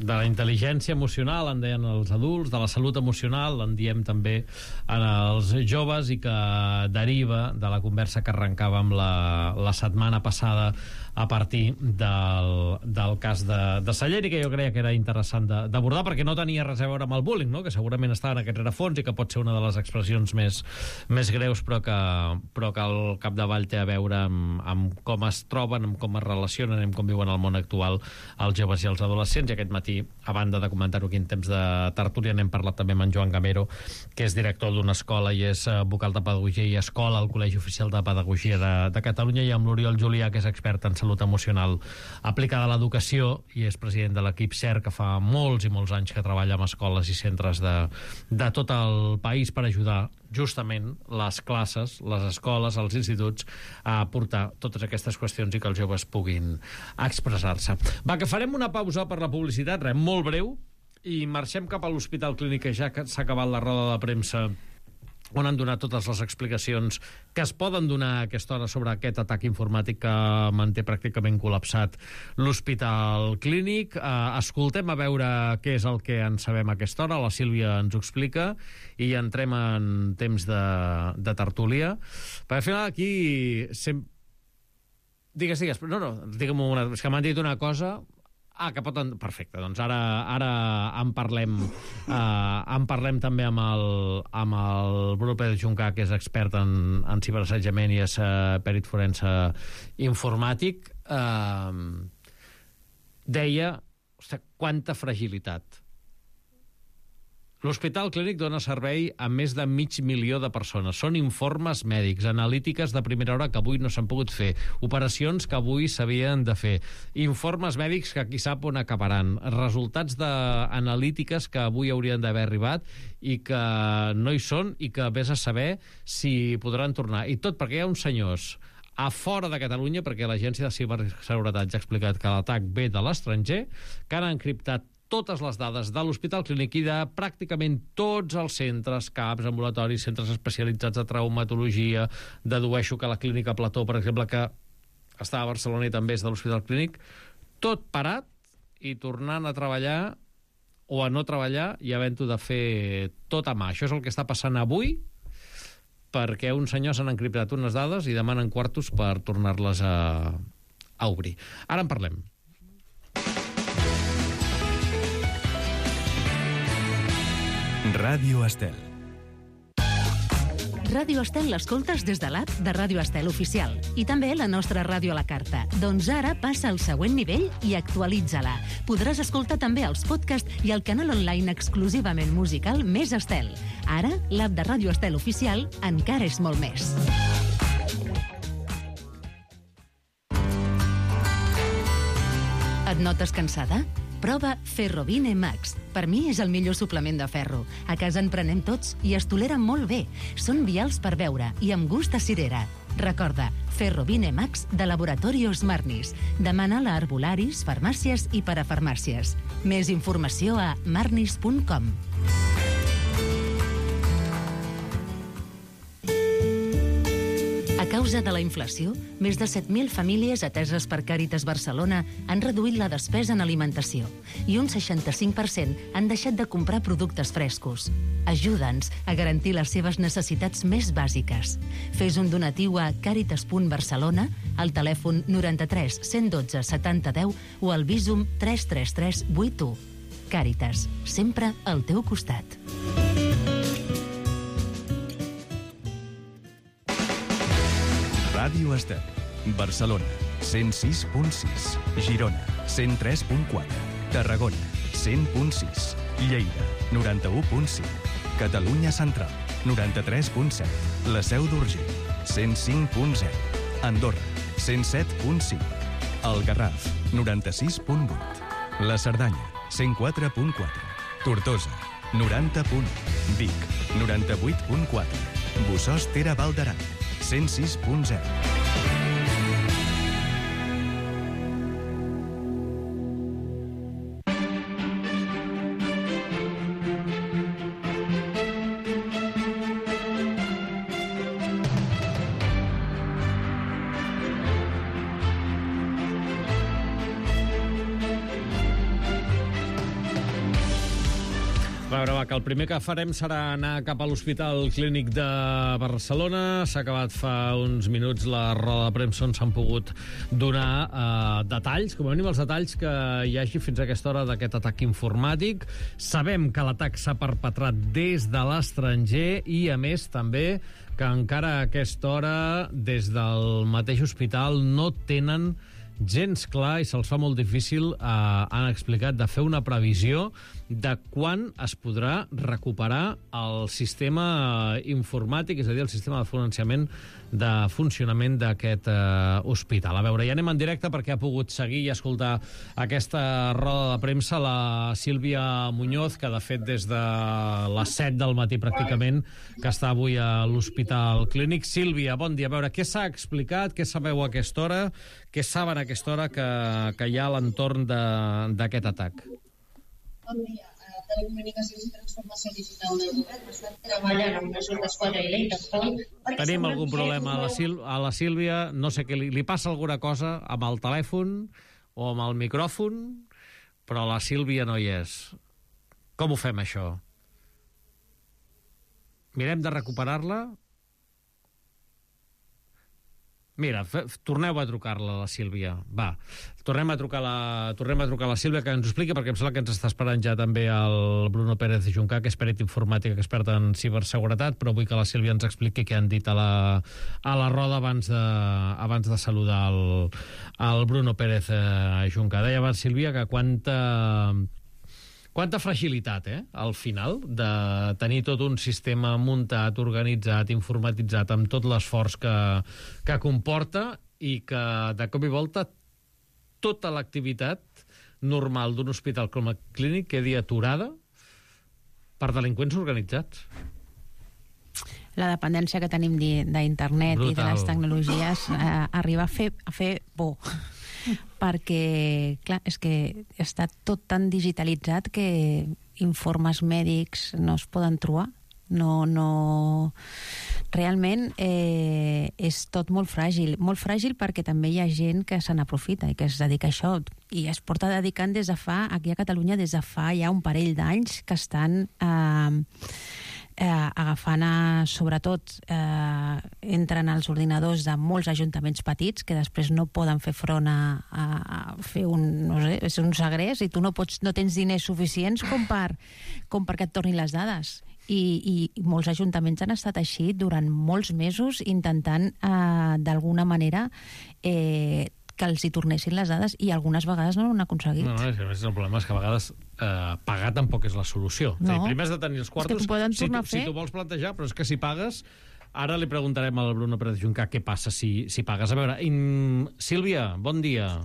la intel·ligència emocional, en deien els adults, de la salut emocional, en diem també en els joves, i que deriva de la conversa que arrencàvem la setmana passada a partir del cas de Sallent, i que jo creia que era interessant d'abordar, perquè no tenia res a veure amb el bullying, no? Que segurament està en aquest rerefons i que pot ser una de les expressions més greus, però que al capdavall té a veure amb com es troben, amb com es relacionen, amb com viuen al món actual els joves i els adolescents. I aquest matí, a banda de comentar-ho aquí en temps de tertúlia, n'hem parlat també amb en Joan Gamero, que és director d'una escola i és vocal de pedagogia i escola al Col·legi Oficial de Pedagogia de Catalunya, i amb l'Oriol Julià, que és expert en salut emocional aplicada a l'educació i és president de l'equip CER, que fa molts i molts anys que treballa amb escoles i centres de tot el país per ajudar justament les classes, les escoles, els instituts a portar totes aquestes qüestions i que els joves puguin expressar-se. Va, que farem una pausa per la publicitat, molt breu, i marxem cap a l'Hospital Clínic, que ja s'ha acabat la roda de premsa on han donat totes les explicacions que es poden donar a aquesta hora sobre aquest atac informàtic que manté pràcticament col·lapsat l'Hospital Clínic. Escoltem a veure què és el que en sabem a aquesta hora. La Sílvia ens ho explica i entrem en temps de tertúlia. Perquè al final aquí... Digues. No, digue'm una... És que m'han dit una cosa... que pot... Perfecte, doncs ara en parlem també amb el Bruno Pérez Juncà, que és expert en ciberassetjament i és pèrit forense informàtic. Deia, ostres, quanta fragilitat. L'Hospital Clínic dona servei a més de 500.000 de persones. Són informes mèdics, analítiques de primera hora que avui no s'han pogut fer, operacions que avui s'havien de fer, informes mèdics que qui sap on acabaran, resultats d'analítiques que avui haurien d'haver arribat i que no hi són i que vés a saber si podran tornar. I tot perquè hi ha uns senyors a fora de Catalunya, perquè l'Agència de Ciberseguretat ja ha explicat que l'atac ve de l'estranger, que han encriptat totes les dades de l'Hospital Clínic i de pràcticament tots els centres, CAPs, ambulatoris, centres especialitzats de traumatologia. Dedueixo que la Clínica Plató, per exemple, que està a Barcelona i també és de l'Hospital Clínic, tot parat i tornant a treballar o a no treballar i havent-ho de fer tot a mà. Això és el que està passant avui, perquè uns senyors han encriptat unes dades i demanen quartos per tornar-les a obrir. Ara en parlem. Ràdio Estel. Ràdio Estel l'escoltes des de l'app de Ràdio Estel Oficial i també la nostra ràdio a la carta. Doncs ara passa al següent nivell i actualitza-la. Podràs escoltar també els podcasts i el canal online exclusivament musical Més Estel. Ara, l'app de Ràdio Estel Oficial encara és molt més. Et notes cansada? Prova Ferrovine Max. Per mi és el millor suplement de ferro. A casa en prenem tots i es tolera molt bé. Són vials per beure i amb gust a cirera. Recorda, Ferrovine Max de Laboratorios Marnis. Demana-la a arbolaris, farmàcies i parafarmàcies. Més informació a marnis.com. A causa de la inflació, més de 7.000 famílies ateses per Càritas Barcelona han reduït la despesa en alimentació i un 65% han deixat de comprar productes frescos. Ajuda'ns a garantir les seves necessitats més bàsiques. Fes un donatiu a caritas.barcelona, al telèfon 93 112 70 10 o al Bizum 333 81. Càritas, sempre al teu costat. Ràdio Estel, Barcelona, 106.6, Girona, 103.4, Tarragona, 100.6, Lleida, 91.5, Catalunya Central, 93.7, la Seu d'Urgell, 105.0, Andorra, 107.5, el Garraf, 96.8, la Cerdanya, 104.4, Tortosa, 90.1, Vic, 98.4, Bossòst Tere Val d'Aran, 106.0. A veure, va, que el primer que farem serà anar cap a l'Hospital Clínic de Barcelona. S'ha acabat fa uns minuts la roda de premsa on s'han pogut donar detalls, com a mínim els detalls que hi hagi fins a aquesta hora d'aquest atac informàtic. Sabem que l'atac s'ha perpetrat des de l'estranger i, a més, també que encara a aquesta hora, des del mateix hospital, no tenen gens clar i se'ls fa molt difícil, han explicat, de fer una previsió de quan es podrà recuperar el sistema informàtic, és a dir, el sistema de financiament de funcionament d'aquest hospital. A veure, ja anem en directe perquè ha pogut seguir i escoltar aquesta roda de premsa la Sílvia Muñoz, que de fet des de les 7 del matí pràcticament que està avui a l'Hospital Clínic. Sílvia, bon dia. A veure, què s'ha explicat, què sabeu a aquesta hora, què saben a aquesta hora que hi ha a l'entorn d'aquest atac? Bon dia. Telecomunicacions i Transformació Digital del Govern estan treballant amb Mossos d'Esquadra i la Interpol. Tenim algun problema a la Sílvia, no sé què, li passa alguna cosa amb el telèfon o amb el micròfon, però la Sílvia no hi és. Com ho fem, això? Mirem de recuperar-la? Mira, torneu a trucar-la, la Sílvia. Va, tornem a trucar la Sílvia, que ens ho expliqui, perquè em sembla que ens està esperant ja també el Bruno Pérez Juncà, que és perit informàtic, expert en ciberseguretat, però vull que la Sílvia ens expliqui què han dit a la roda abans de saludar el Bruno Pérez Juncà. Deia abans, Sílvia, que quanta fragilitat, al final, de tenir tot un sistema muntat, organitzat, informatitzat, amb tot l'esforç que comporta i que, de cop i volta, tota l'activitat normal d'un hospital com a clínic quedi aturada per delinqüents organitzats. La dependència que tenim d'internet i de les tecnologies arriba a fer por. Perquè, clar, és que està tot tan digitalitzat que informes mèdics no es poden trobar. No... Realment és tot molt fràgil perquè també hi ha gent que se n'aprofita i que es dedica a això, i es porta dedicant aquí a Catalunya des de fa ja un parell d'anys, que estan agafant, sobretot, entren als ordinadors de molts ajuntaments petits que després no poden fer front a fer un segrest, i tu no tens diners suficients com perquè et tornin les dades. I molts ajuntaments han estat així durant molts mesos intentant, d'alguna manera, que els hi tornessin les dades, i algunes vegades no ho han aconseguit. No, el problema és que a vegades pagar tampoc és la solució. No. Primer has de tenir els quartos, si tu vols plantejar, però és que si pagues... Ara li preguntarem al Bruno Pérez Juncà què passa si pagues. A veure, Sílvia, bon dia.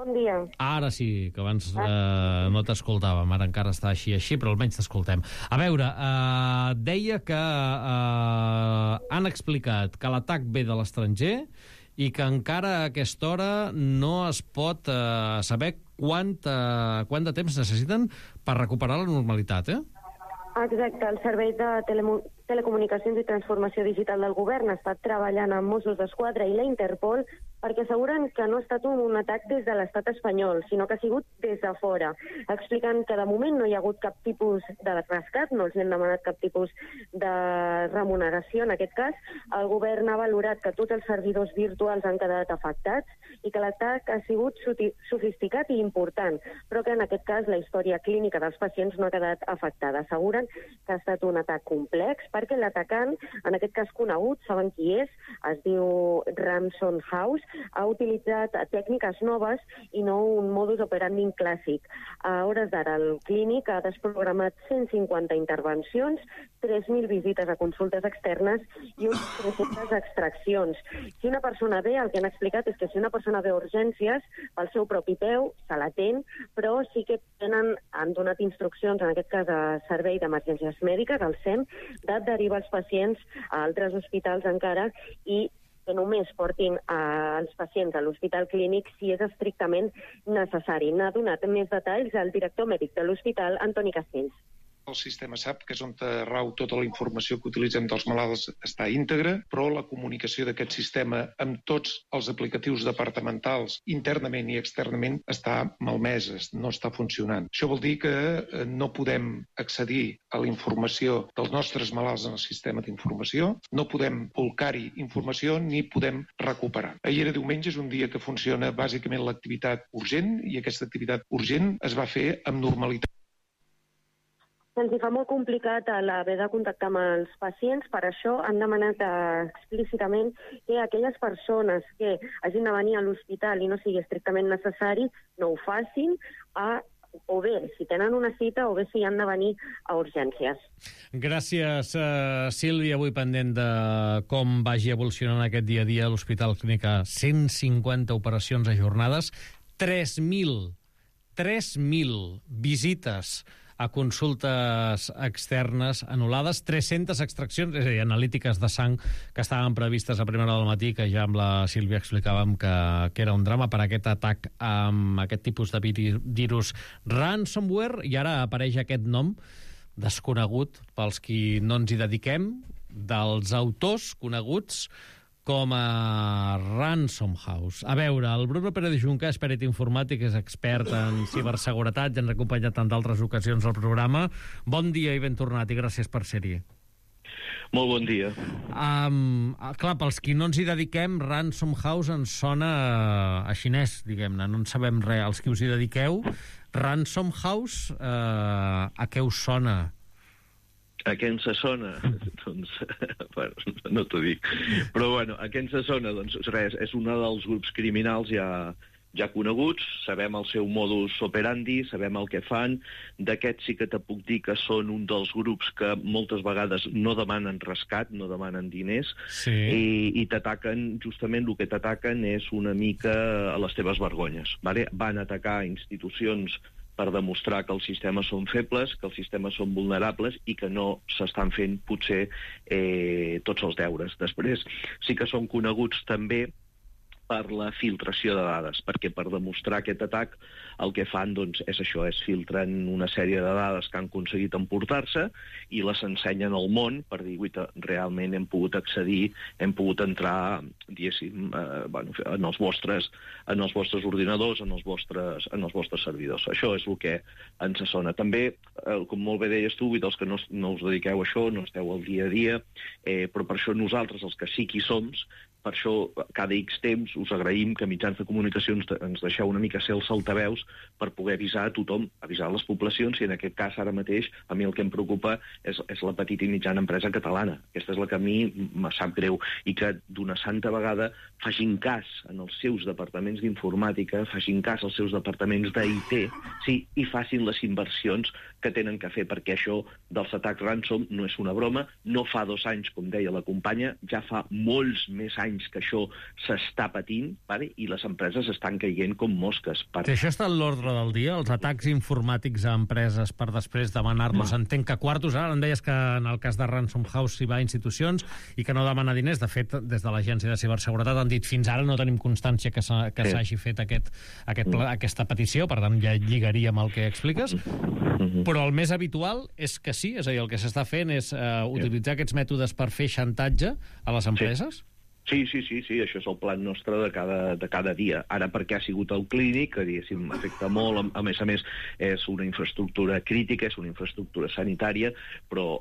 Bon dia. Ara sí, que abans no t'escoltàvem, ara encara està així, però almenys t'escoltem. A veure, deia que han explicat que l'atac ve de l'estranger i que encara a aquesta hora no es pot saber quant de temps necessiten per recuperar la normalitat, Exacte, el Servei de Telecomunicacions i Transformació Digital del Govern ha estat treballant amb Mossos d'Esquadra i la Interpol perquè asseguren que no ha estat un atac des de l'estat espanyol, sinó que ha sigut des de fora. Expliquen que de moment no hi ha hagut cap tipus de rescat, no els han demanat cap tipus de remuneració en aquest cas. El govern ha valorat que tots els servidors virtuals han quedat afectats i que l'atac ha sigut sofisticat i important, però que en aquest cas la història clínica dels pacients no ha quedat afectada. Asseguren que ha estat un atac complex perquè l'atacant, en aquest cas conegut, saben qui és, es diu Ransom House, ha utilitzat tècniques noves i no un modus operandi clàssic. A hores d'ara, el clínic ha desprogramat 150 intervencions, 3.000 visites a consultes externes i unes 300 extraccions. Si una persona ve, el que han explicat és que si una persona ve a urgències, pel seu propi peu, se l'atén, però sí que han donat instruccions, en aquest cas a Servei d'Emergències Mèdiques, al SEM, de derivar els pacients a altres hospitals encara i que només portin els pacients a l'hospital clínic si és estrictament necessari. N'ha donat més detalls el director mèdic de l'hospital, Antoni Castells. El sistema SAP, que és on rau tota la informació que utilitzem dels malalts, està íntegra, però la comunicació d'aquest sistema amb tots els aplicatius departamentals, internament i externament, està malmesa, no està funcionant. Això vol dir que no podem accedir a la informació dels nostres malalts en el sistema d'informació, no podem volcar-hi informació ni podem recuperar. Ahir era diumenge, és un dia que funciona bàsicament l'activitat urgent, i aquesta activitat urgent es va fer amb normalitat. Se'ns fa molt complicat l'haver de contactar amb els pacients, per això han demanat explícitament que aquelles persones que hagin de venir a l'hospital i no sigui estrictament necessari, no ho facin, o bé si tenen una cita o bé si han de venir a urgències. Gràcies, Sílvia. Avui pendent de com vagi evolucionant aquest dia a dia a l'Hospital Clínica. 150 operacions ajornades, 3.000 visites a consultes externes anul·lades, 300 extraccions, és a dir, analítiques de sang que estaven previstes a primera hora del matí, que ja amb la Sílvia explicàvem que era un drama per aquest atac amb aquest tipus de virus ransomware, i ara apareix aquest nom desconegut pels qui no ens hi dediquem, dels autors coneguts com a Ransom House. A veure, el Bruno Pérez Junca és perit informàtic, és expert en ciberseguretat, ja ens ha acompanyat en d'altres ocasions al programa. Bon dia i ben tornat, i gràcies per ser-hi. Molt bon dia. Clar, pels qui no ens hi dediquem, Ransom House ens sona a xinès, diguem-ne, no en sabem res. Els qui us hi dediqueu, Ransom House, a què us sona? A què ens sona? Doncs, bueno, no t'ho dic. Però, bueno, a què ens sona? Doncs res, és un dels grups criminals ja coneguts, sabem el seu modus operandi, sabem el que fan. D'aquests sí que te puc dir que són un dels grups que moltes vegades no demanen rescat, no demanen diners, sí. I t'ataquen, justament el que t'ataquen és una mica a les teves vergonyes. Vale? Van atacar institucions per demostrar que els sistemes són febles, que els sistemes són vulnerables i que no s'estan fent, potser, tots els deures. Després, sí que són coneguts també per la filtració de dades, perquè per demostrar aquest atac el que fan doncs, és això, és filtren una sèrie de dades que han aconseguit emportar-se i les ensenyen al món per dir, realment hem pogut accedir, hem pogut entrar, diguéssim, en els vostres ordinadors, en els vostres servidors. Això és el que ens sona. També, com molt bé deies tu, i dels que no us dediqueu a això, no esteu al dia a dia, però per això nosaltres, els que sí que hi som, per això, cada X temps, us agraïm que mitjans de comunicació ens deixeu una mica ser els altaveus per poder avisar a tothom, avisar les poblacions, i en aquest cas, ara mateix, a mi el que em preocupa és la petita i mitjana empresa catalana. Aquesta és la que a mi me sap greu, i que d'una santa vegada facin cas en els seus departaments d'informàtica, facin cas als seus departaments d'IT, sí, i facin les inversions que tenen que fer, perquè això dels atacs ransom no és una broma, no fa 2 anys, com deia la companya, ja fa molts més anys anys que això s'està patint, vale? I les empreses estan caient com mosques. Si això està en l'ordre del dia, els atacs informàtics a empreses per després demanar-los, entenc que quartos, ara em deies que en el cas de Ransom House s'hi va a institucions i que no demana diners. De fet, des de l'Agència de Ciberseguretat han dit fins ara no tenim constància que s'hagi fet aquesta petició, per tant ja lligaria amb el que expliques, però el més habitual és que sí, és a dir, el que s'està fent és utilitzar aquests mètodes per fer xantatge a les empreses? Sí, això és el plan nostre de cada dia. Ara, perquè ha sigut el clínic, que diguéssim, afecta molt, a més, és una infraestructura crítica, és una infraestructura sanitària, però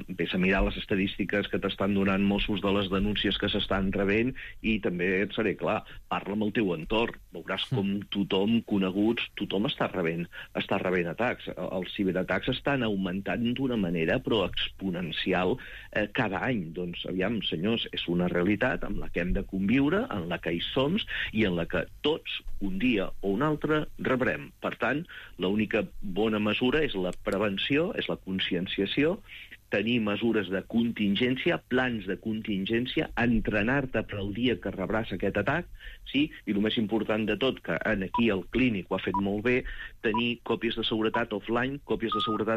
vés a mirar les estadístiques que t'estan donant Mossos de les denúncies que s'estan rebent i també et seré clar, parla amb el teu entorn, veuràs com tothom, coneguts, tothom està rebent atacs. Els ciberatacs estan augmentant d'una manera però exponencial cada any. Doncs, aviam, senyors, és una realitat amb la que hem de conviure, en la que hi som i en la que tots, un dia o un altre, rebrem. Per tant, l'única bona mesura és la prevenció, és la conscienciació, tenir mesures de contingència, plans de contingència, entrenar-te per al dia que rebràs aquest atac, sí? I el més important de tot, que aquí el clínic ho ha fet molt bé, tenir còpies de seguretat offline, còpies de seguretat